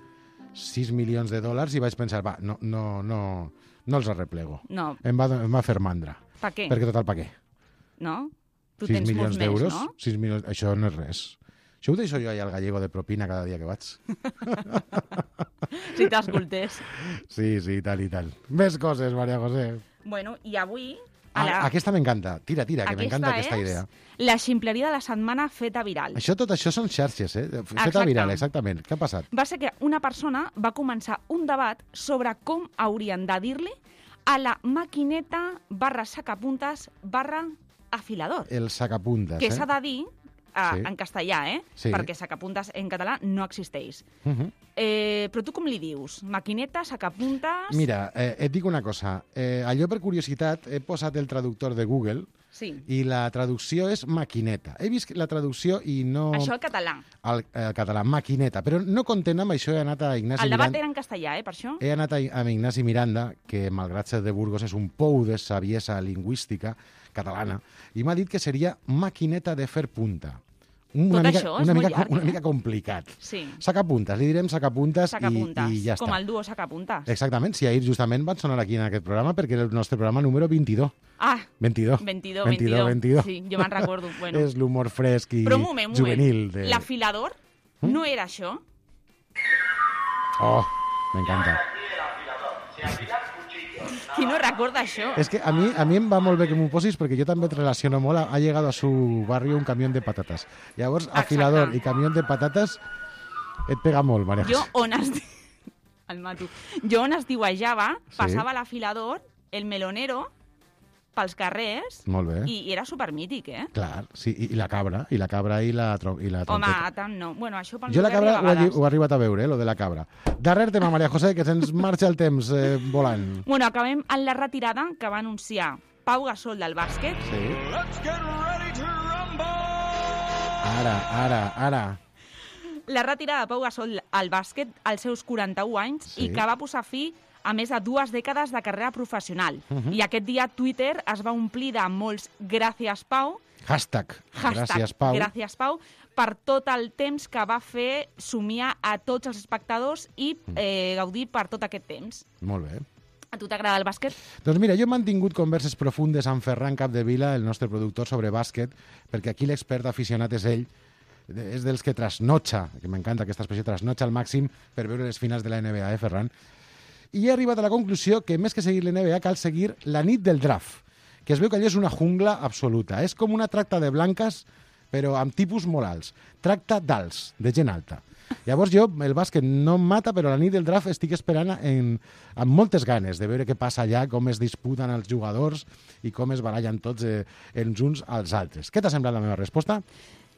Speaker 2: sis milions de dòlars i vaig pensar, va, no, no, no, no els arreplego.
Speaker 9: No.
Speaker 2: Em va, em va fer mandra.
Speaker 9: Per què?
Speaker 2: Perquè total, per què?
Speaker 9: No? Tu
Speaker 2: sis
Speaker 9: tens
Speaker 2: milions
Speaker 9: molts més,
Speaker 2: d'euros?
Speaker 9: no?
Speaker 2: sis milions... Això no és res. Això ho deixo jo allà al gallego de propina cada dia que vaig.
Speaker 9: Si t'escoltés.
Speaker 2: Sí, sí, tal i tal. Més coses, Maria José.
Speaker 9: Bueno, i avui... a
Speaker 2: Ah,
Speaker 9: la-
Speaker 2: aquesta m'encanta. Tira, tira, que m'encanta aquesta
Speaker 9: és
Speaker 2: idea.
Speaker 9: la ximpleria de la setmana feta viral.
Speaker 2: Això, tot això són xarxes, eh? Feta
Speaker 9: Exacte.
Speaker 2: viral, exactament. Què ha passat?
Speaker 9: Va ser que una persona va començar un debat sobre com haurien de dir-li a la maquineta barra sacapuntes barra afilador.
Speaker 2: El sacapuntes,
Speaker 9: Que
Speaker 2: eh?
Speaker 9: s'ha de dir eh,
Speaker 2: Sí.
Speaker 9: en castellà, eh?
Speaker 2: Sí.
Speaker 9: Perquè sacapuntes en català no existeix.
Speaker 2: Uh -huh.
Speaker 9: Eh, però tu com li dius? Maquineta, sacapuntes...
Speaker 2: Mira, eh, et dic una cosa. Eh, allò per curiositat he posat el traductor de Google
Speaker 9: Sí.
Speaker 2: i la traducció és maquineta. He vist la traducció i no...
Speaker 9: Això al català.
Speaker 2: Al, al català, maquineta. Però no content amb això, he anat a Ignasi
Speaker 9: El debat
Speaker 2: Miranda.
Speaker 9: era en castellà, eh, per això?
Speaker 2: He anat a, amb Ignasi Miranda, que malgrat ser de Burgos és un pou de saviesa lingüística catalana, i m'ha dit que seria maquineta de fer punta. Una
Speaker 9: Tot
Speaker 2: mica,
Speaker 9: això és
Speaker 2: una
Speaker 9: molt
Speaker 2: mica,
Speaker 9: llarg,
Speaker 2: una
Speaker 9: eh?
Speaker 2: mica complicat.
Speaker 9: Sí.
Speaker 2: Sacapuntes, li direm sacapuntes,
Speaker 9: Sacapuntes,
Speaker 2: i, i ja està.
Speaker 9: com el duo sacapuntes.
Speaker 2: Exactament, si ahir justament van sonar aquí en aquest programa perquè era el nostre programa número vint-i-dos.
Speaker 9: Ah,
Speaker 2: vint-i-dos.
Speaker 9: vint-i-dos,
Speaker 2: vint-i-dos, vint-i-dos.
Speaker 9: Sí, jo me'n recordo. Bueno.
Speaker 2: És l'humor fresc i
Speaker 9: Però un moment, un
Speaker 2: juvenil.
Speaker 9: moment.
Speaker 2: De...
Speaker 9: L'afilador no era això?
Speaker 2: Oh, m'encanta.
Speaker 9: Qui no recorda això?
Speaker 2: És que a mi, a mi em va molt bé que m'ho posis perquè jo també et relaciono molt. Ha llegado a su barrio un camión de patatas. Llavors, afilador
Speaker 9: Exacte.
Speaker 2: i camión de patates et pega molt, Maria
Speaker 9: Jo
Speaker 2: José.
Speaker 9: on es... El mato. Jo on es diuejava, passava l'afilador, el melonero, pels carrers,
Speaker 2: Molt bé.
Speaker 9: i, i era supermític, eh?
Speaker 2: Clar, sí, i, i la cabra, i la cabra i la, tro i la
Speaker 9: Home,
Speaker 2: trompeta.
Speaker 9: tant no. Bueno, això pel
Speaker 2: Jo
Speaker 9: meu
Speaker 2: la cabra
Speaker 9: barri
Speaker 2: ho
Speaker 9: a
Speaker 2: he,
Speaker 9: vegades.
Speaker 2: ho he arribat a veure, eh, lo de la cabra. Darrer tema, Maria José, que se'ns marxa el temps eh, volant.
Speaker 9: Bueno, acabem en la retirada que va anunciar Pau Gasol del bàsquet.
Speaker 2: Sí.
Speaker 4: Let's get ready to rumble!
Speaker 2: Ara, ara, ara.
Speaker 9: La retirada de Pau Gasol al bàsquet als seus quaranta-un anys
Speaker 2: Sí.
Speaker 9: i que va posar fi a més de dues dècades de carrera professional.
Speaker 2: Uh -huh.
Speaker 9: I aquest dia Twitter es va omplir de molts gràcies, Pau,
Speaker 2: Hashtag.
Speaker 9: hashtag
Speaker 2: Gràcies, Pau.
Speaker 9: gràcies, Pau, per tot el temps que va fer somiar a tots els espectadors i eh, gaudir per tot aquest temps.
Speaker 2: Molt bé.
Speaker 9: A tu t'agrada el bàsquet?
Speaker 2: Doncs mira, jo he mantingut converses profundes amb Ferran Capdevila, el nostre productor, sobre bàsquet, perquè aquí l'expert aficionat és ell, és dels que trasnotxa, que m'encanta aquesta expressió, trasnotxa al màxim per veure les finals de la N B A, eh, Ferran? I he arribat a la conclusió que més que seguir l'N B A cal seguir la nit del draft, que es veu que allò és una jungla absoluta. És com una tracta de blanques, però amb tipus molt alts. Tracta d'alts, de gent alta. Llavors jo, el bàsquet no em mata, però la nit del draft estic esperant en, amb moltes ganes de veure què passa allà, com es disputen els jugadors i com es barallen tots eh, els uns als altres. Què t'ha semblat la meva resposta?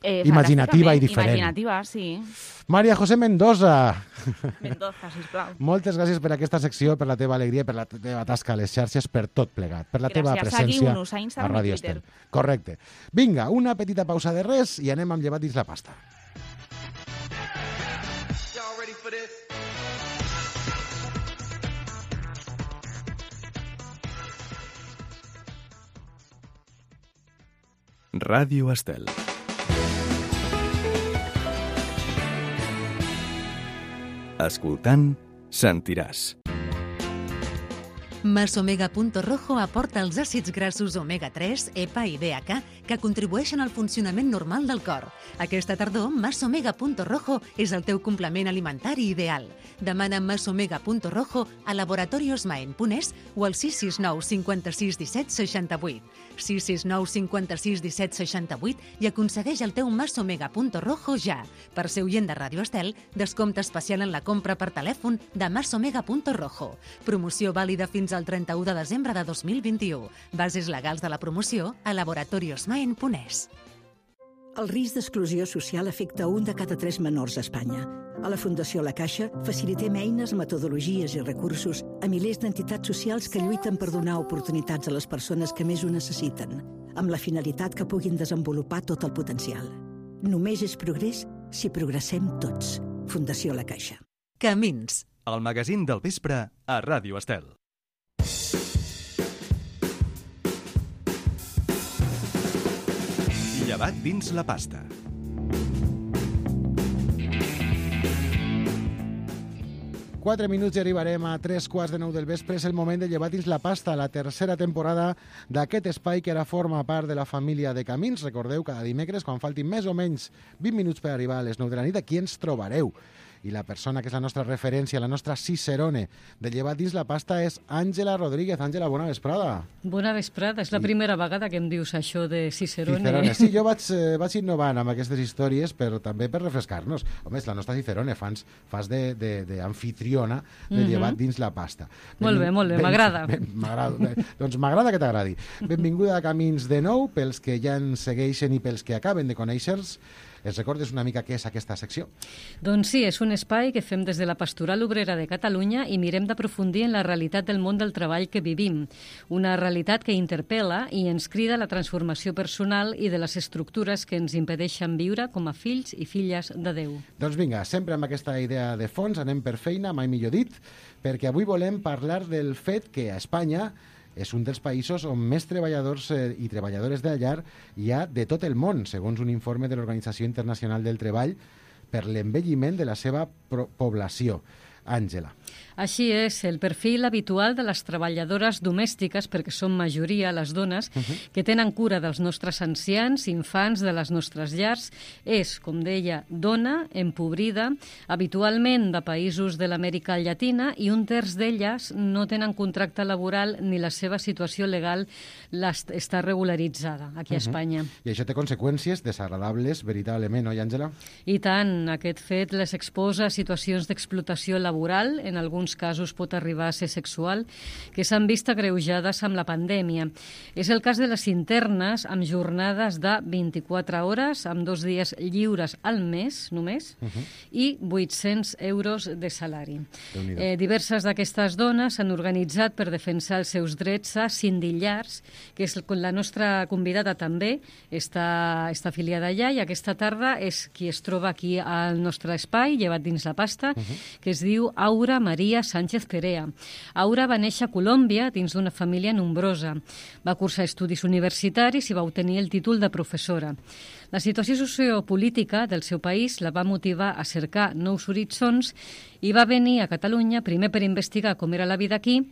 Speaker 9: Eh,
Speaker 2: Imaginativa i
Speaker 9: fantàsticament.
Speaker 2: diferent.
Speaker 9: Imaginativa, sí.
Speaker 2: Maria José Mendoza,
Speaker 9: Mendoza, sisplau.
Speaker 2: moltes gràcies per aquesta secció, per la teva alegria, per la teva tasca a les xarxes, per tot plegat, per la teva
Speaker 9: Gràcies.
Speaker 2: presència
Speaker 9: Seguiu-nos a Instagram i
Speaker 2: Ràdio
Speaker 9: Twitter.
Speaker 2: Estel. Correcte. Vinga, una petita pausa de res i anem amb llevat dins la pasta.
Speaker 4: Y'all ready for this?
Speaker 1: Ràdio Estel. Escoltant, sentiràs.
Speaker 3: Masomega.rojo aporta els àcids grassos omega tres, EPA i D H A que contribueixen al funcionament normal del cor. Aquesta tardor, Masomega.rojo és el teu complement alimentari ideal. Demana Masomega.rojo a Laboratorios Maen Punès o al sis sis nou cinquanta-sis disset seixanta-vuit. sis sis nou cinquanta-sis disset seixanta-vuit i aconsegueix el teu Masomega.rojo ja. Per ser oient de Ràdio Estel, descompte especial en la compra per telèfon de Masomega.rojo. Promoció vàlida fins al trenta-u de desembre de dos mil vint-i-u. Bases legals de la promoció a Laboratorios Maen Punès.
Speaker 11: El risc d'exclusió social afecta un de cada tres menors a Espanya. A la Fundació La Caixa facilitem eines, metodologies i recursos a milers d'entitats socials que lluiten per donar oportunitats a les persones que més ho necessiten, amb la finalitat que puguin desenvolupar tot el potencial. Només és progrés si progressem tots. Fundació La Caixa.
Speaker 3: Camins.
Speaker 1: El magazín del vespre a Ràdio Estel. Llevat dins la pasta.
Speaker 2: Quatre minuts i arribarem a tres quarts de nou del vespre. És el moment de llevar dins la pasta, la tercera temporada d'aquest espai que ara forma part de la família de Camins. Recordeu, cada dimecres, quan faltin més o menys vint minuts per arribar a les nou de la nit, aquí ens trobareu. I la persona que és la nostra referència, la nostra cicerone de llevar dins la pasta és Àngela Rodríguez. Àngela, bona vesprada.
Speaker 12: Bona vesprada. És la primera vegada que em dius això de cicerone.
Speaker 2: Cicerone. Sí, jo vaig, eh, vaig innovant amb aquestes històries, però també per refrescar-nos. Home, és la nostra cicerone, fans, fas d'anfitriona de, de, de
Speaker 12: Mhm.
Speaker 2: llevat dins la pasta.
Speaker 12: Molt bé, molt bé, m'agrada.
Speaker 2: M'agrada. Doncs m'agrada que t'agradi. Benvinguda a Camins de nou, pels que ja ens segueixen i pels que acaben de conèixer-nos. Es recordes una mica què és aquesta secció?
Speaker 12: Doncs sí, és un espai que fem des de la Pastoral Obrera de Catalunya i mirem d'aprofundir en la realitat del món del treball que vivim. Una realitat que interpel·la i ens crida a la transformació personal i de les estructures que ens impedeixen viure com a fills i filles de Déu.
Speaker 2: Doncs vinga, sempre amb aquesta idea de fons, anem per feina, mai millor dit, perquè avui volem parlar del fet que a Espanya és un dels països on més treballadors eh, i treballadores de la llar hi ha de tot el món, segons un informe de l'Organització Internacional del Treball, per l'envelliment de la seva població. Àngela.
Speaker 12: Així és, el perfil habitual de les treballadores domèstiques, perquè són majoria les dones, uh -huh. que tenen cura dels nostres ancians, infants de les nostres llars, és, com deia, dona, empobrida, habitualment de països de l'Amèrica Llatina, i un terç d'elles no tenen contracte laboral ni la seva situació legal està regularitzada aquí a Espanya.
Speaker 2: Uh -huh. I això té conseqüències desagradables, veritablement, oi, Àngela?
Speaker 12: I tant, aquest fet les exposa a situacions d'explotació laboral laboral, en alguns casos pot arribar a ser sexual, que s'han vist agreujades amb la pandèmia. És el cas de les internes amb jornades de vint-i-quatre hores, amb dos dies lliures al mes, només, uh -huh. i vuit-cents euros de salari. Eh, diverses d'aquestes dones s'han organitzat per defensar els seus drets a Sindillars, que és la nostra convidada també, està, està afiliada allà, i aquesta tarda és qui es troba aquí al nostre espai, llevat dins la pasta, uh -huh. que es diu Aura Maria Sánchez Perea. Aura va néixer a Colòmbia dins d'una família nombrosa. Va cursar estudis universitaris i va obtenir el títol de professora. La situació sociopolítica del seu país la va motivar a cercar nous horitzons i va venir a Catalunya primer per investigar com era la vida aquí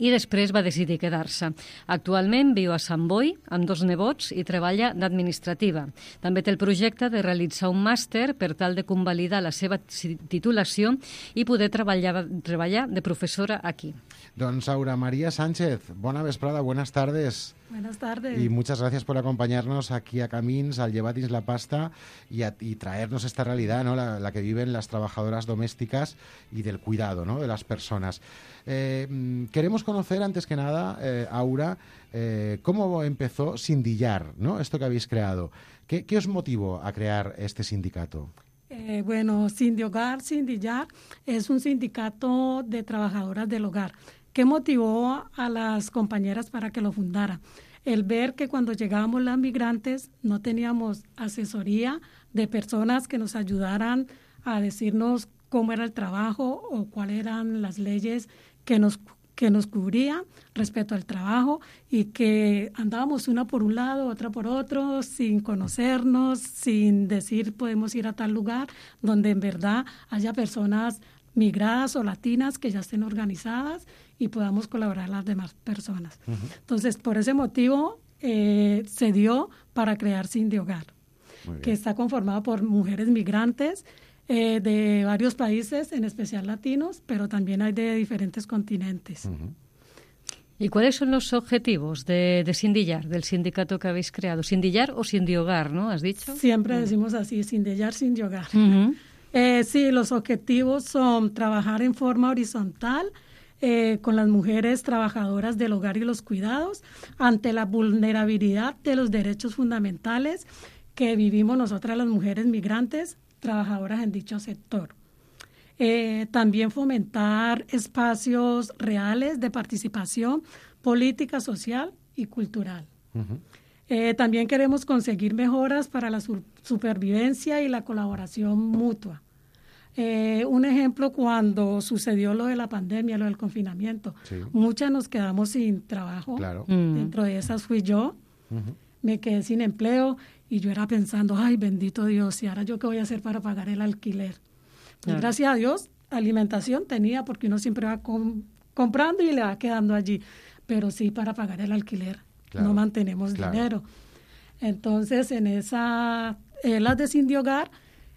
Speaker 12: i després va decidir quedar-se. Actualment viu a Sant Boi amb dos nebots i treballa d'administrativa. També té el projecte de realitzar un màster per tal de convalidar la seva titulació i poder treballar, treballar de professora aquí.
Speaker 2: Doncs Aura María Sánchez, bona vesprada, buenas tardes.
Speaker 13: Buenas tardes.
Speaker 2: Y muchas gracias por acompañarnos aquí a Camins, al Llevat dins la pasta y, a, y traernos esta realidad, ¿no? la, la que viven las trabajadoras domésticas y del cuidado, ¿no? de las personas. Eh, queremos conocer, antes que nada, eh, Aura, eh, cómo empezó Sindillar, ¿no? Esto que habéis creado. ¿Qué, qué os motivó a crear este sindicato?
Speaker 13: Eh, bueno, Sindiogar, Sindillar, es un sindicato de trabajadoras del hogar. ¿Qué motivó a las compañeras para que lo fundara? El ver que cuando llegábamos las migrantes no teníamos asesoría de personas que nos ayudaran a decirnos cómo era el trabajo o cuáles eran las leyes que nos, que nos cubrían respecto al trabajo, y que andábamos una por un lado, otra por otro, sin conocernos, sin decir podemos ir a tal lugar, donde en verdad haya personas migradas o latinas que ya estén organizadas y podamos colaborar las demás personas.
Speaker 2: Uh-huh.
Speaker 13: Entonces, por ese motivo, eh, se dio para crear Cindy Hogar, que está conformado por mujeres migrantes eh, de varios países, en especial latinos, pero también hay de diferentes continentes.
Speaker 2: Uh-huh.
Speaker 12: ¿Y cuáles son los objetivos de, de Sindillar, del sindicato que habéis creado? Sindillar o Cindy Hogar, ¿no? ¿Has dicho?
Speaker 13: Siempre uh-huh. decimos así, Sindillar, Cindy Hogar.
Speaker 12: Uh-huh.
Speaker 13: Eh, sí, los objetivos son trabajar en forma horizontal eh, con las mujeres trabajadoras del hogar y los cuidados ante la vulnerabilidad de los derechos fundamentales que vivimos nosotras las mujeres migrantes trabajadoras en dicho sector. Eh, también fomentar espacios reales de participación política, social y cultural.
Speaker 2: Uh-huh.
Speaker 13: Eh, también queremos conseguir mejoras para la su- supervivencia y la colaboración mutua. Eh, un ejemplo, cuando sucedió lo de la pandemia, lo del confinamiento,
Speaker 2: sí.
Speaker 13: muchas nos quedamos sin trabajo.
Speaker 2: Claro.
Speaker 12: Mm.
Speaker 13: Dentro de esas fui yo.
Speaker 2: Uh-huh.
Speaker 13: Me quedé sin empleo y yo era pensando, ay, bendito Dios, ¿y ahora yo qué voy a hacer para pagar el alquiler? Pues
Speaker 12: Claro.
Speaker 13: gracias a Dios, alimentación tenía, porque uno siempre va com- comprando y le va quedando allí. Pero sí, para pagar el alquiler
Speaker 2: Claro.
Speaker 13: no mantenemos
Speaker 2: Claro.
Speaker 13: dinero. Entonces, en esa, eh, las de Cindy Hogar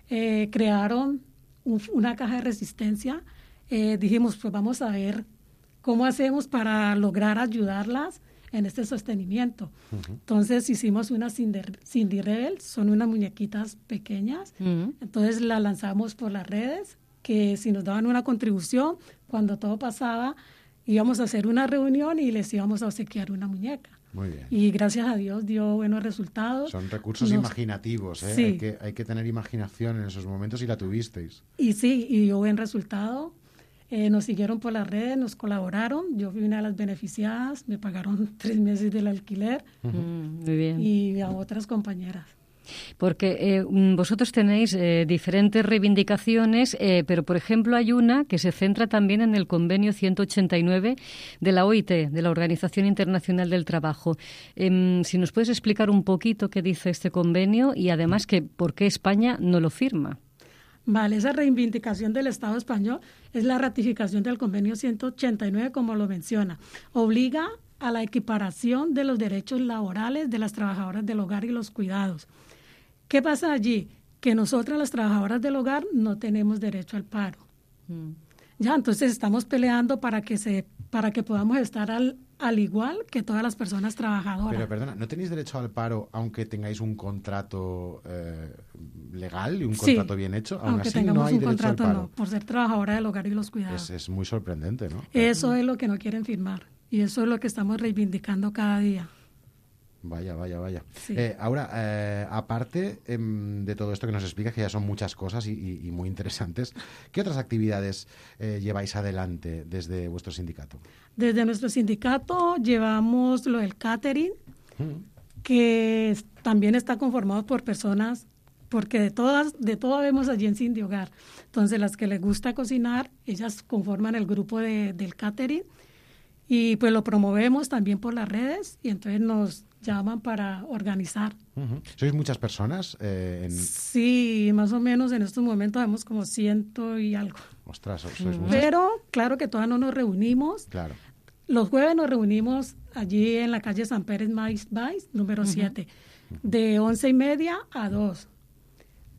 Speaker 13: eh, crearon un- una caja de resistencia. Eh, dijimos, pues vamos a ver cómo hacemos para lograr ayudarlas en este sostenimiento.
Speaker 2: Uh-huh.
Speaker 13: Entonces hicimos una Cindy, Cindy Rebel, son unas muñequitas pequeñas.
Speaker 12: Uh-huh.
Speaker 13: Entonces la lanzamos por las redes, que si nos daban una contribución, cuando todo pasaba, íbamos a hacer una reunión y les íbamos a obsequiar una muñeca.
Speaker 2: Muy bien.
Speaker 13: Y gracias a Dios dio buenos resultados.
Speaker 2: Son recursos
Speaker 13: Nos-
Speaker 2: imaginativos, ¿eh?
Speaker 13: Sí.
Speaker 2: Hay que, hay que tener imaginación en esos momentos y la tuvisteis.
Speaker 13: Y sí, y dio buen resultado. Eh, nos siguieron por las redes, nos colaboraron. Yo fui una de las beneficiadas, me pagaron tres meses del alquiler.
Speaker 12: Mm, muy bien.
Speaker 13: Y a otras compañeras.
Speaker 12: Porque eh, vosotros tenéis eh, diferentes reivindicaciones, eh, pero por ejemplo hay una que se centra también en el convenio ciento ochenta y nueve de la O I T, de la Organización Internacional del Trabajo. Eh, si nos puedes explicar un poquito qué dice este convenio y además que por qué España no lo firma.
Speaker 13: Vale, esa reivindicación del Estado español es la ratificación del convenio ciento ochenta y nueve, como lo menciona. Obliga a la equiparación de los derechos laborales de las trabajadoras del hogar y los cuidados. ¿Qué pasa allí? Que nosotras, las trabajadoras del hogar, no tenemos derecho al paro.
Speaker 12: Mm.
Speaker 13: Ya, entonces estamos peleando para que se, para que podamos estar al, al igual que todas las personas trabajadoras.
Speaker 2: Pero perdona, ¿no tenéis derecho al paro aunque tengáis un contrato eh, legal y un
Speaker 13: Sí,
Speaker 2: contrato bien hecho? Aún
Speaker 13: aunque
Speaker 2: así
Speaker 13: tengamos
Speaker 2: no hay
Speaker 13: un
Speaker 2: derecho
Speaker 13: contrato,
Speaker 2: al paro.
Speaker 13: no, por ser trabajadora del hogar y los cuidados.
Speaker 2: Es, es muy sorprendente, ¿no?
Speaker 13: Eso es lo que no quieren firmar y eso es lo que estamos reivindicando cada día.
Speaker 2: Vaya, vaya, vaya.
Speaker 13: Sí.
Speaker 2: Eh, ahora, eh, aparte em, de todo esto que nos explicas, que ya son muchas cosas y, y- y muy interesantes, ¿qué otras actividades eh, lleváis adelante desde vuestro sindicato?
Speaker 13: Desde nuestro sindicato llevamos lo del catering, que es- también está conformado por personas, porque de todas, de todo vemos allí en Cindy Hogar. Entonces, las que les gusta cocinar, ellas conforman el grupo de, del catering y pues lo promovemos también por las redes y entonces nos llaman para organizar.
Speaker 2: Ujú. ¿Sois muchas personas? Eh, en...
Speaker 13: Sí, más o menos en estos momentos vemos como ciento y algo.
Speaker 2: Ostras, so- sois muchas.
Speaker 13: Pero claro que todavía no nos reunimos.
Speaker 2: Claro.
Speaker 13: Los jueves nos reunimos allí en la calle San Pérez Mais Vais, número siete, de once y media a dos.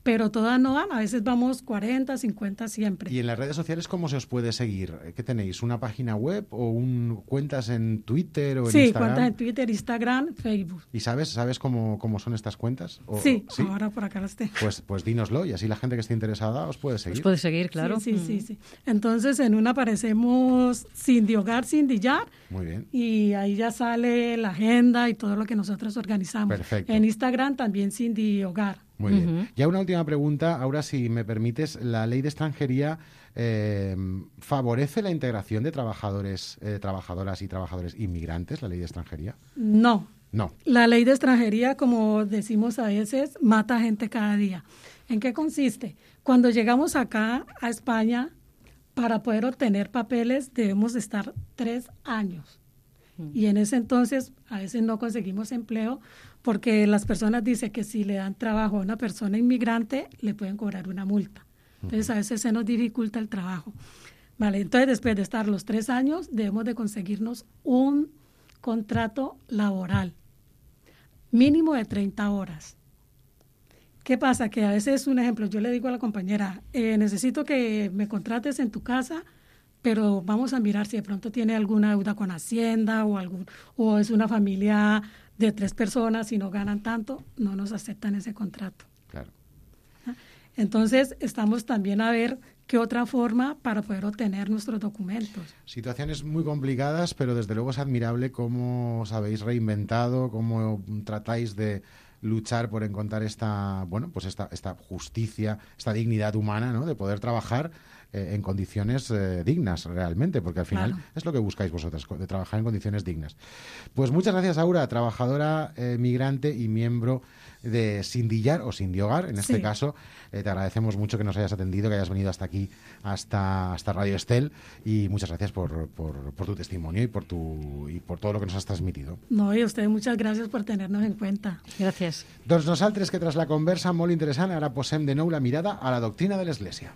Speaker 13: Pero todas no van, a veces vamos cuarenta, cincuenta siempre.
Speaker 2: ¿Y en las redes sociales cómo se os puede seguir? ¿Qué tenéis? ¿Una página web o un, cuentas en Twitter o en
Speaker 13: Sí,
Speaker 2: Instagram?
Speaker 13: cuentas en Twitter, Instagram, Facebook.
Speaker 2: ¿Y sabes, sabes cómo, cómo son estas cuentas? ¿O-
Speaker 13: Sí,
Speaker 2: ¿sí?
Speaker 13: ahora por acá las tengo.
Speaker 2: Pues, pues dínoslo y así la gente que esté interesada os puede seguir.
Speaker 12: Os puede seguir, claro.
Speaker 13: Sí, sí, sí, sí. Entonces en una aparecemos Cindy Hogar, Cindy Yar,
Speaker 2: Muy bien.
Speaker 13: y ahí ya sale la agenda y todo lo que nosotros organizamos.
Speaker 2: Perfecto.
Speaker 13: En Instagram también Cindy Hogar.
Speaker 2: Muy bien. Ya una última pregunta, ahora si me permites, la ley de extranjería eh, favorece la integración de trabajadores, eh, trabajadoras y trabajadores inmigrantes, la ley de extranjería.
Speaker 13: No.
Speaker 2: No.
Speaker 13: La ley de extranjería, como decimos a veces, mata gente cada día. ¿En qué consiste? Cuando llegamos acá a España, para poder obtener papeles debemos estar tres años. Y en ese entonces a veces no conseguimos empleo porque las personas dicen que si le dan trabajo a una persona inmigrante le pueden cobrar una multa. Entonces a veces se nos dificulta el trabajo. Vale, entonces después de estar los tres años, debemos de conseguirnos un contrato laboral, mínimo de treinta horas. ¿Qué pasa? Que a veces, un ejemplo, yo le digo a la compañera, eh, necesito que me contrates en tu casa, pero vamos a mirar si de pronto tiene alguna deuda con Hacienda o, algún, o es una familia de tres personas y no ganan tanto, no nos aceptan ese contrato.
Speaker 2: Claro.
Speaker 13: Entonces, estamos también a ver qué otra forma para poder obtener nuestros documentos.
Speaker 2: Situaciones muy complicadas, pero desde luego es admirable cómo os habéis reinventado, cómo tratáis de luchar por encontrar esta, bueno, pues esta, esta justicia, esta dignidad humana, ¿no? De poder trabajar eh, en condiciones eh, dignas realmente, porque al final
Speaker 13: Claro.
Speaker 2: es lo que buscáis vosotras, de trabajar en condiciones dignas. Pues muchas gracias, Aura, trabajadora eh, migrante y miembro de Sindillar o Sindiogar, en este
Speaker 13: Sí.
Speaker 2: caso. Eh, te agradecemos mucho que nos hayas atendido, que hayas venido hasta aquí, hasta, hasta Radio Estel, y muchas gracias por, por, por tu testimonio y por, tu, y por todo lo que nos has transmitido.
Speaker 13: No, y a ustedes muchas gracias por tenernos en cuenta.
Speaker 12: Gràcies.
Speaker 2: Doncs nosaltres, que tras la conversa molt interessant, ara posem de nou la mirada a la doctrina de l'Església.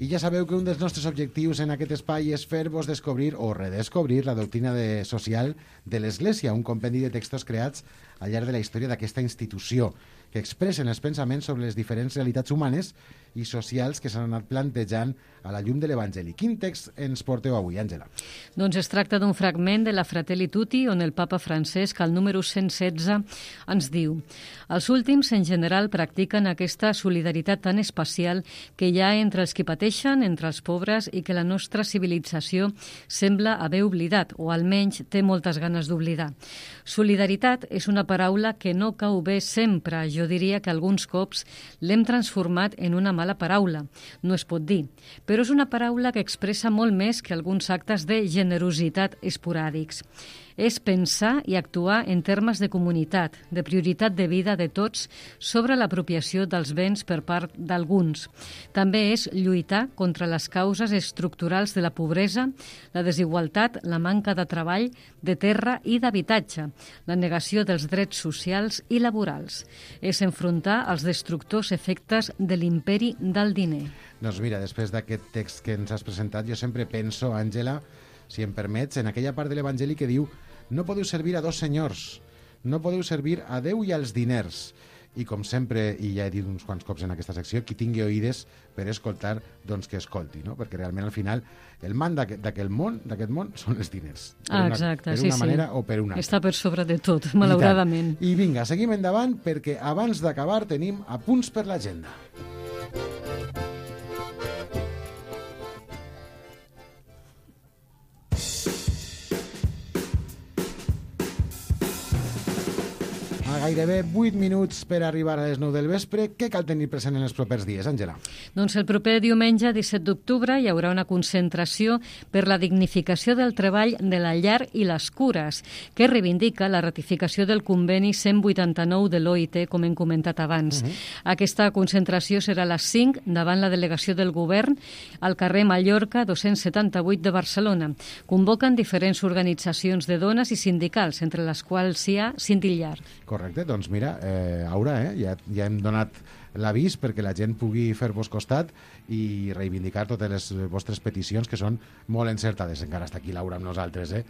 Speaker 2: I ja sabeu que un dels nostres objectius en aquest espai és fer-vos descobrir o redescobrir la doctrina de, social de l'Església, un compendi de textos creats al llarg de la història d'aquesta institució, que expressen els pensaments sobre les diferents realitats humanes i socials que s'han anat plantejant a la llum de l'Evangeli. Quin text ens porteu avui, Àngela?
Speaker 12: Doncs es tracta d'un fragment de la Fratelli Tutti on el papa Francesc, al número cent setze, ens diu: els últims en general practiquen aquesta solidaritat tan especial que hi ha entre els que pateixen, entre els pobres, i que la nostra civilització sembla haver oblidat, o almenys té moltes ganes d'oblidar. Solidaritat és una paraula que no cau bé sempre. Jo diria que alguns cops l'hem transformat en una mala paraula. No es pot dir. Però és una paraula que expressa molt més que alguns actes de generositat esporàdics. És pensar i actuar en termes de comunitat, de prioritat de vida de tots sobre l'apropiació dels béns per part d'alguns. També és lluitar contra les causes estructurals de la pobresa, la desigualtat, la manca de treball, de terra i d'habitatge, la negació dels drets socials i laborals. És enfrontar els destructors efectes de l'imperi del diner.
Speaker 2: Doncs mira, després d'aquest text que ens has presentat, jo sempre penso, Àngela, si em permets, en aquella part de l'Evangeli que diu: no podeu servir a dos senyors, no podeu servir a Déu i als diners. I com sempre, i ja he dit uns quants cops en aquesta secció, qui tingui oïdes per escoltar, doncs que escolti, no? Perquè realment al final el man d'aquest món, d'aquest món són els diners. Per
Speaker 12: Ah,
Speaker 2: una,
Speaker 12: exacte,
Speaker 2: per
Speaker 12: sí,
Speaker 2: una
Speaker 12: sí.
Speaker 2: manera o per una altra.
Speaker 12: Està per sobre de tot, malauradament.
Speaker 2: I, I vinga, seguim endavant perquè abans d'acabar tenim apunts per l'agenda. A gairebé vuit minuts per arribar a les nou del vespre, què cal tenir present en els propers dies, Àngela?
Speaker 12: Doncs el proper diumenge, disset d'octubre, hi haurà una concentració per la dignificació del treball de la llar i les cures, que reivindica la ratificació del conveni cent vuitanta-nou de l'O I T, com hem comentat abans. Uh -huh. Aquesta concentració serà a les cinc davant la delegació del govern al carrer Mallorca dos-cents setanta-vuit de Barcelona. Convoquen diferents organitzacions de dones i sindicals, entre les quals hi ha Sindillar.
Speaker 2: Correcte, doncs mira, eh, Aura, eh, ja, ja hem donat l'avís perquè la gent pugui fer-vos costat i reivindicar totes les vostres peticions, que són molt encertades. Encara està aquí Laura amb nosaltres, eh?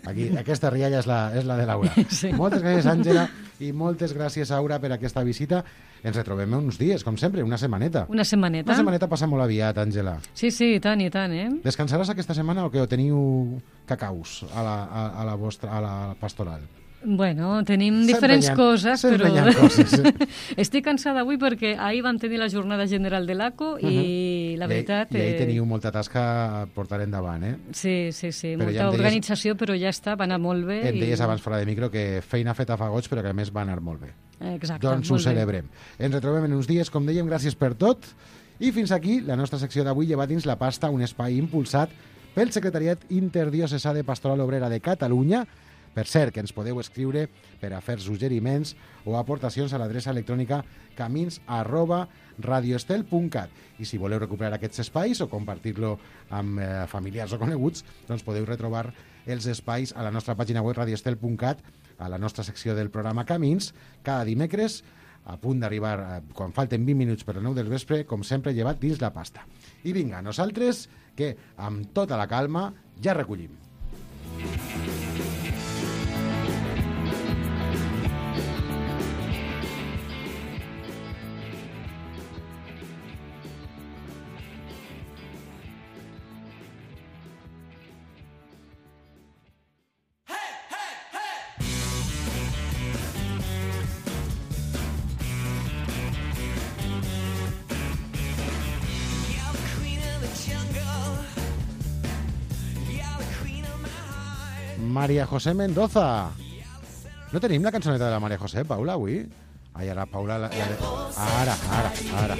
Speaker 2: Aquí, aquesta rialla és la, és la de Laura.
Speaker 12: Sí.
Speaker 2: Moltes gràcies, Àngela, i moltes gràcies, Aura, per aquesta visita. Ens retrobem uns dies, com sempre, una setmaneta.
Speaker 12: Una setmaneta.
Speaker 2: Una setmaneta passa molt aviat, Àngela.
Speaker 12: Sí, sí, i tant, i tant, eh?
Speaker 2: Descansaràs aquesta setmana o que teniu cacaus a la, a, a la vostra a la pastoral?
Speaker 12: Bueno, tenim
Speaker 2: Sempre
Speaker 12: diferents
Speaker 2: hi ha-
Speaker 12: coses,
Speaker 2: sempre
Speaker 12: però...
Speaker 2: hi ha coses, eh?
Speaker 12: Estic cansada avui perquè ahir vam tenir la jornada general de l'A C O i la veritat...
Speaker 2: I, i ahí
Speaker 12: eh,
Speaker 2: teniu molta tasca a portar endavant, eh?
Speaker 12: Sí, sí, sí,
Speaker 2: Però
Speaker 12: molta
Speaker 2: ja em deies-
Speaker 12: organització, però ja està, va anar molt bé.
Speaker 2: Em deies
Speaker 12: i...
Speaker 2: abans fora de micro que feina feta fa goig, però que a més va anar molt bé.
Speaker 12: Exacte,
Speaker 2: Doncs ho
Speaker 12: molt bé.
Speaker 2: celebrem. Ens retrobem en uns dies, com dèiem, gràcies per tot. I fins aquí la nostra secció d'avui, lleva dins la pasta, un espai impulsat pel Secretariat Interdiocesà de Pastoral Obrera de Catalunya. Per cert, que ens podeu escriure per a fer suggeriments o aportacions a l'adreça electrònica camins arroba radioestel punt cat. I si voleu recuperar aquests espais o compartir-lo amb eh, familiars o coneguts, doncs podeu retrobar els espais a la nostra pàgina web radioestel punt cat, a la nostra secció del programa Camins, cada dimecres a punt d'arribar, eh, quan falten vint minuts per les nou del vespre, com sempre, llevat dins la pasta. I vinga, nosaltres, que amb tota la calma ja recollim. María José Mendoza. No tenim la cançoneta de la María José, Paula, avui? Ai, ara, Paula... La, la, ara, ara, ara.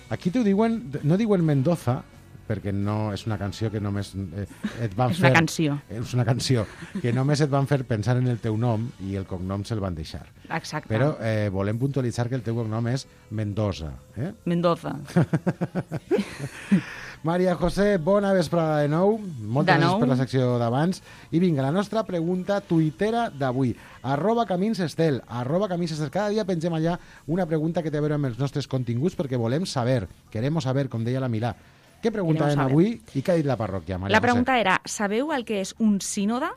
Speaker 2: Aquí t'ho diuen... No diuen Mendoza, perquè no és una canció que només eh, et van
Speaker 9: és
Speaker 2: fer...
Speaker 9: És una canció.
Speaker 2: És una canció que només et van fer pensar en el teu nom i el cognom se'l van deixar.
Speaker 9: Exacte.
Speaker 2: Però eh, volem puntualitzar que el teu cognom és Mendoza. Eh?
Speaker 9: Mendoza.
Speaker 2: María José, bona vesprada de nou. Moltes
Speaker 9: de
Speaker 2: gràcies
Speaker 9: nou.
Speaker 2: per la secció d'abans. I vinga, la nostra pregunta tuitera d'avui. Arroba Camins Estel. Arroba Camins Estel. Cada dia pengem allà una pregunta que té a veure amb els nostres continguts perquè volem saber, queremos saber, com deia la Milà. Què preguntaven avui i què ha dit la parròquia, María
Speaker 9: La pregunta
Speaker 2: José?
Speaker 9: era, sabeu el que és un sínode?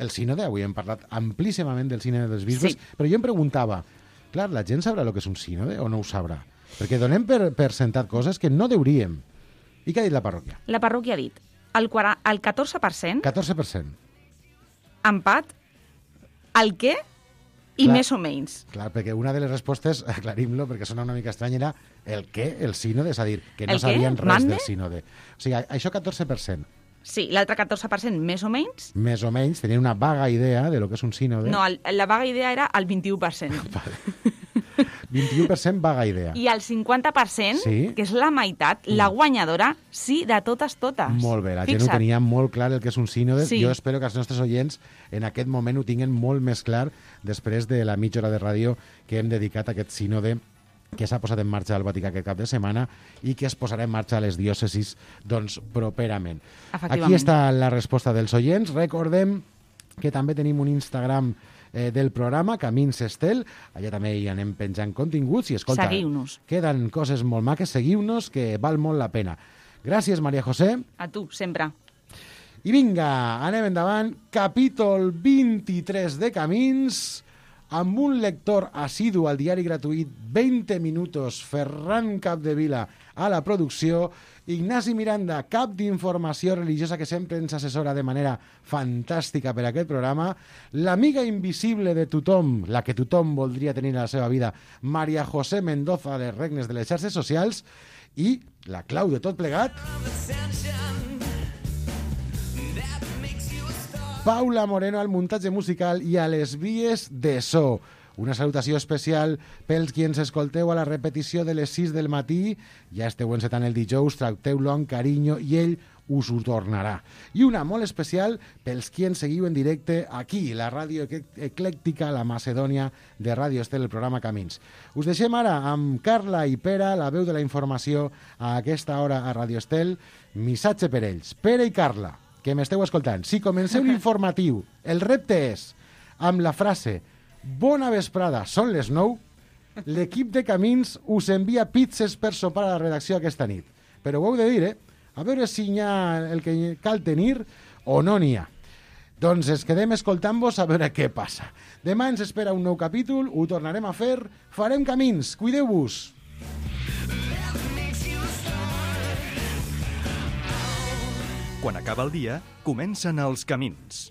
Speaker 2: El sínode, avui hem parlat amplíssimament del sínode dels bisbes,
Speaker 9: Sí.
Speaker 2: però jo em preguntava, clar, la gent sabrà el que és un sínode o no ho sabrà? Perquè donem per, per sentat coses que no deuríem. I què ha dit la parròquia?
Speaker 9: La parròquia ha dit el, quara- el catorze per cent,
Speaker 2: catorze per cent.
Speaker 9: empat, el què i
Speaker 2: Clar.
Speaker 9: més o menys.
Speaker 2: Clar, perquè una de les respostes, aclarim-lo, perquè sona una mica estrany, era el què? El sínode, és a dir, que no
Speaker 9: El què?
Speaker 2: sabien res
Speaker 9: Mande?
Speaker 2: del sínode. O sigui, això catorze per cent.
Speaker 9: Sí, l'altre catorze per cent més o menys.
Speaker 2: Més o menys, tenien una vaga idea de lo que és un sínode.
Speaker 9: No, el, la vaga idea era el vint-i-u per cent.
Speaker 2: vint-i-u per cent vaga idea.
Speaker 9: I el cinquanta per cent,
Speaker 2: Sí.
Speaker 9: que és la meitat, la guanyadora, sí, de totes, totes.
Speaker 2: Molt bé, la gent
Speaker 9: Fixa't.
Speaker 2: ho tenia molt clar el que és un sínode.
Speaker 9: Sí.
Speaker 2: Jo espero que els nostres oients en aquest moment ho tinguin molt més clar després de la mitja hora de ràdio que hem dedicat a aquest sínode que s'ha posat en marxa al Vaticà aquest cap de setmana i que es posarà en marxa a les diòcesis doncs, properament.
Speaker 9: Efectivament.
Speaker 2: Aquí està la resposta dels oients. Recordem que també tenim un Instagram eh, del programa, Camins Estel. Allà també hi anem penjant continguts i, escolta,
Speaker 9: Seguiu-nos.
Speaker 2: queden coses molt maques. Seguiu-nos, que val molt la pena. Gràcies, María José.
Speaker 9: A tu, sempre.
Speaker 2: I vinga, anem endavant. Capítol vint-i-tres de Camins, amb un lector assidu al diari gratuït veinte minutos, Ferran Capdevila a la producció, Ignasi Miranda, cap d'informació religiosa que sempre ens assessora de manera fantàstica per aquest programa, l'amiga invisible de tothom, la que tothom voldria tenir a la seva vida, María José Mendoza, de Regnes de les xarxes socials, i la clau de tot plegat, Paula Moreno al muntatge musical i a les vies de so. Una salutació especial pels qui ens escolteu a la repetició de les sis del matí. Ja esteu encetant el dijous, tracteu-lo amb carinyo i ell us ho tornarà. I una molt especial pels qui ens seguiu en directe aquí, la ràdio eclèctica, la Macedònia de Ràdio Estel, el programa Camins. Us deixem ara amb Carla i Pere, la veu de la informació a aquesta hora a Ràdio Estel. Missatge per ells. Pere i Carla, que m'esteu escoltant, si comenceu l'informatiu, el repte és, amb la frase «Bona vesprada, són les nou», l'equip de Camins us envia pizzas per sopar a la redacció aquesta nit. Però ho heu de dir, eh? A veure si hi ha el que cal tenir o no n'hi ha. Doncs es quedem escoltant-vos a veure què passa. Demà ens espera un nou capítol, ho tornarem a fer, farem Camins, cuideu-vos!
Speaker 1: Quan acaba el dia, comencen els camins.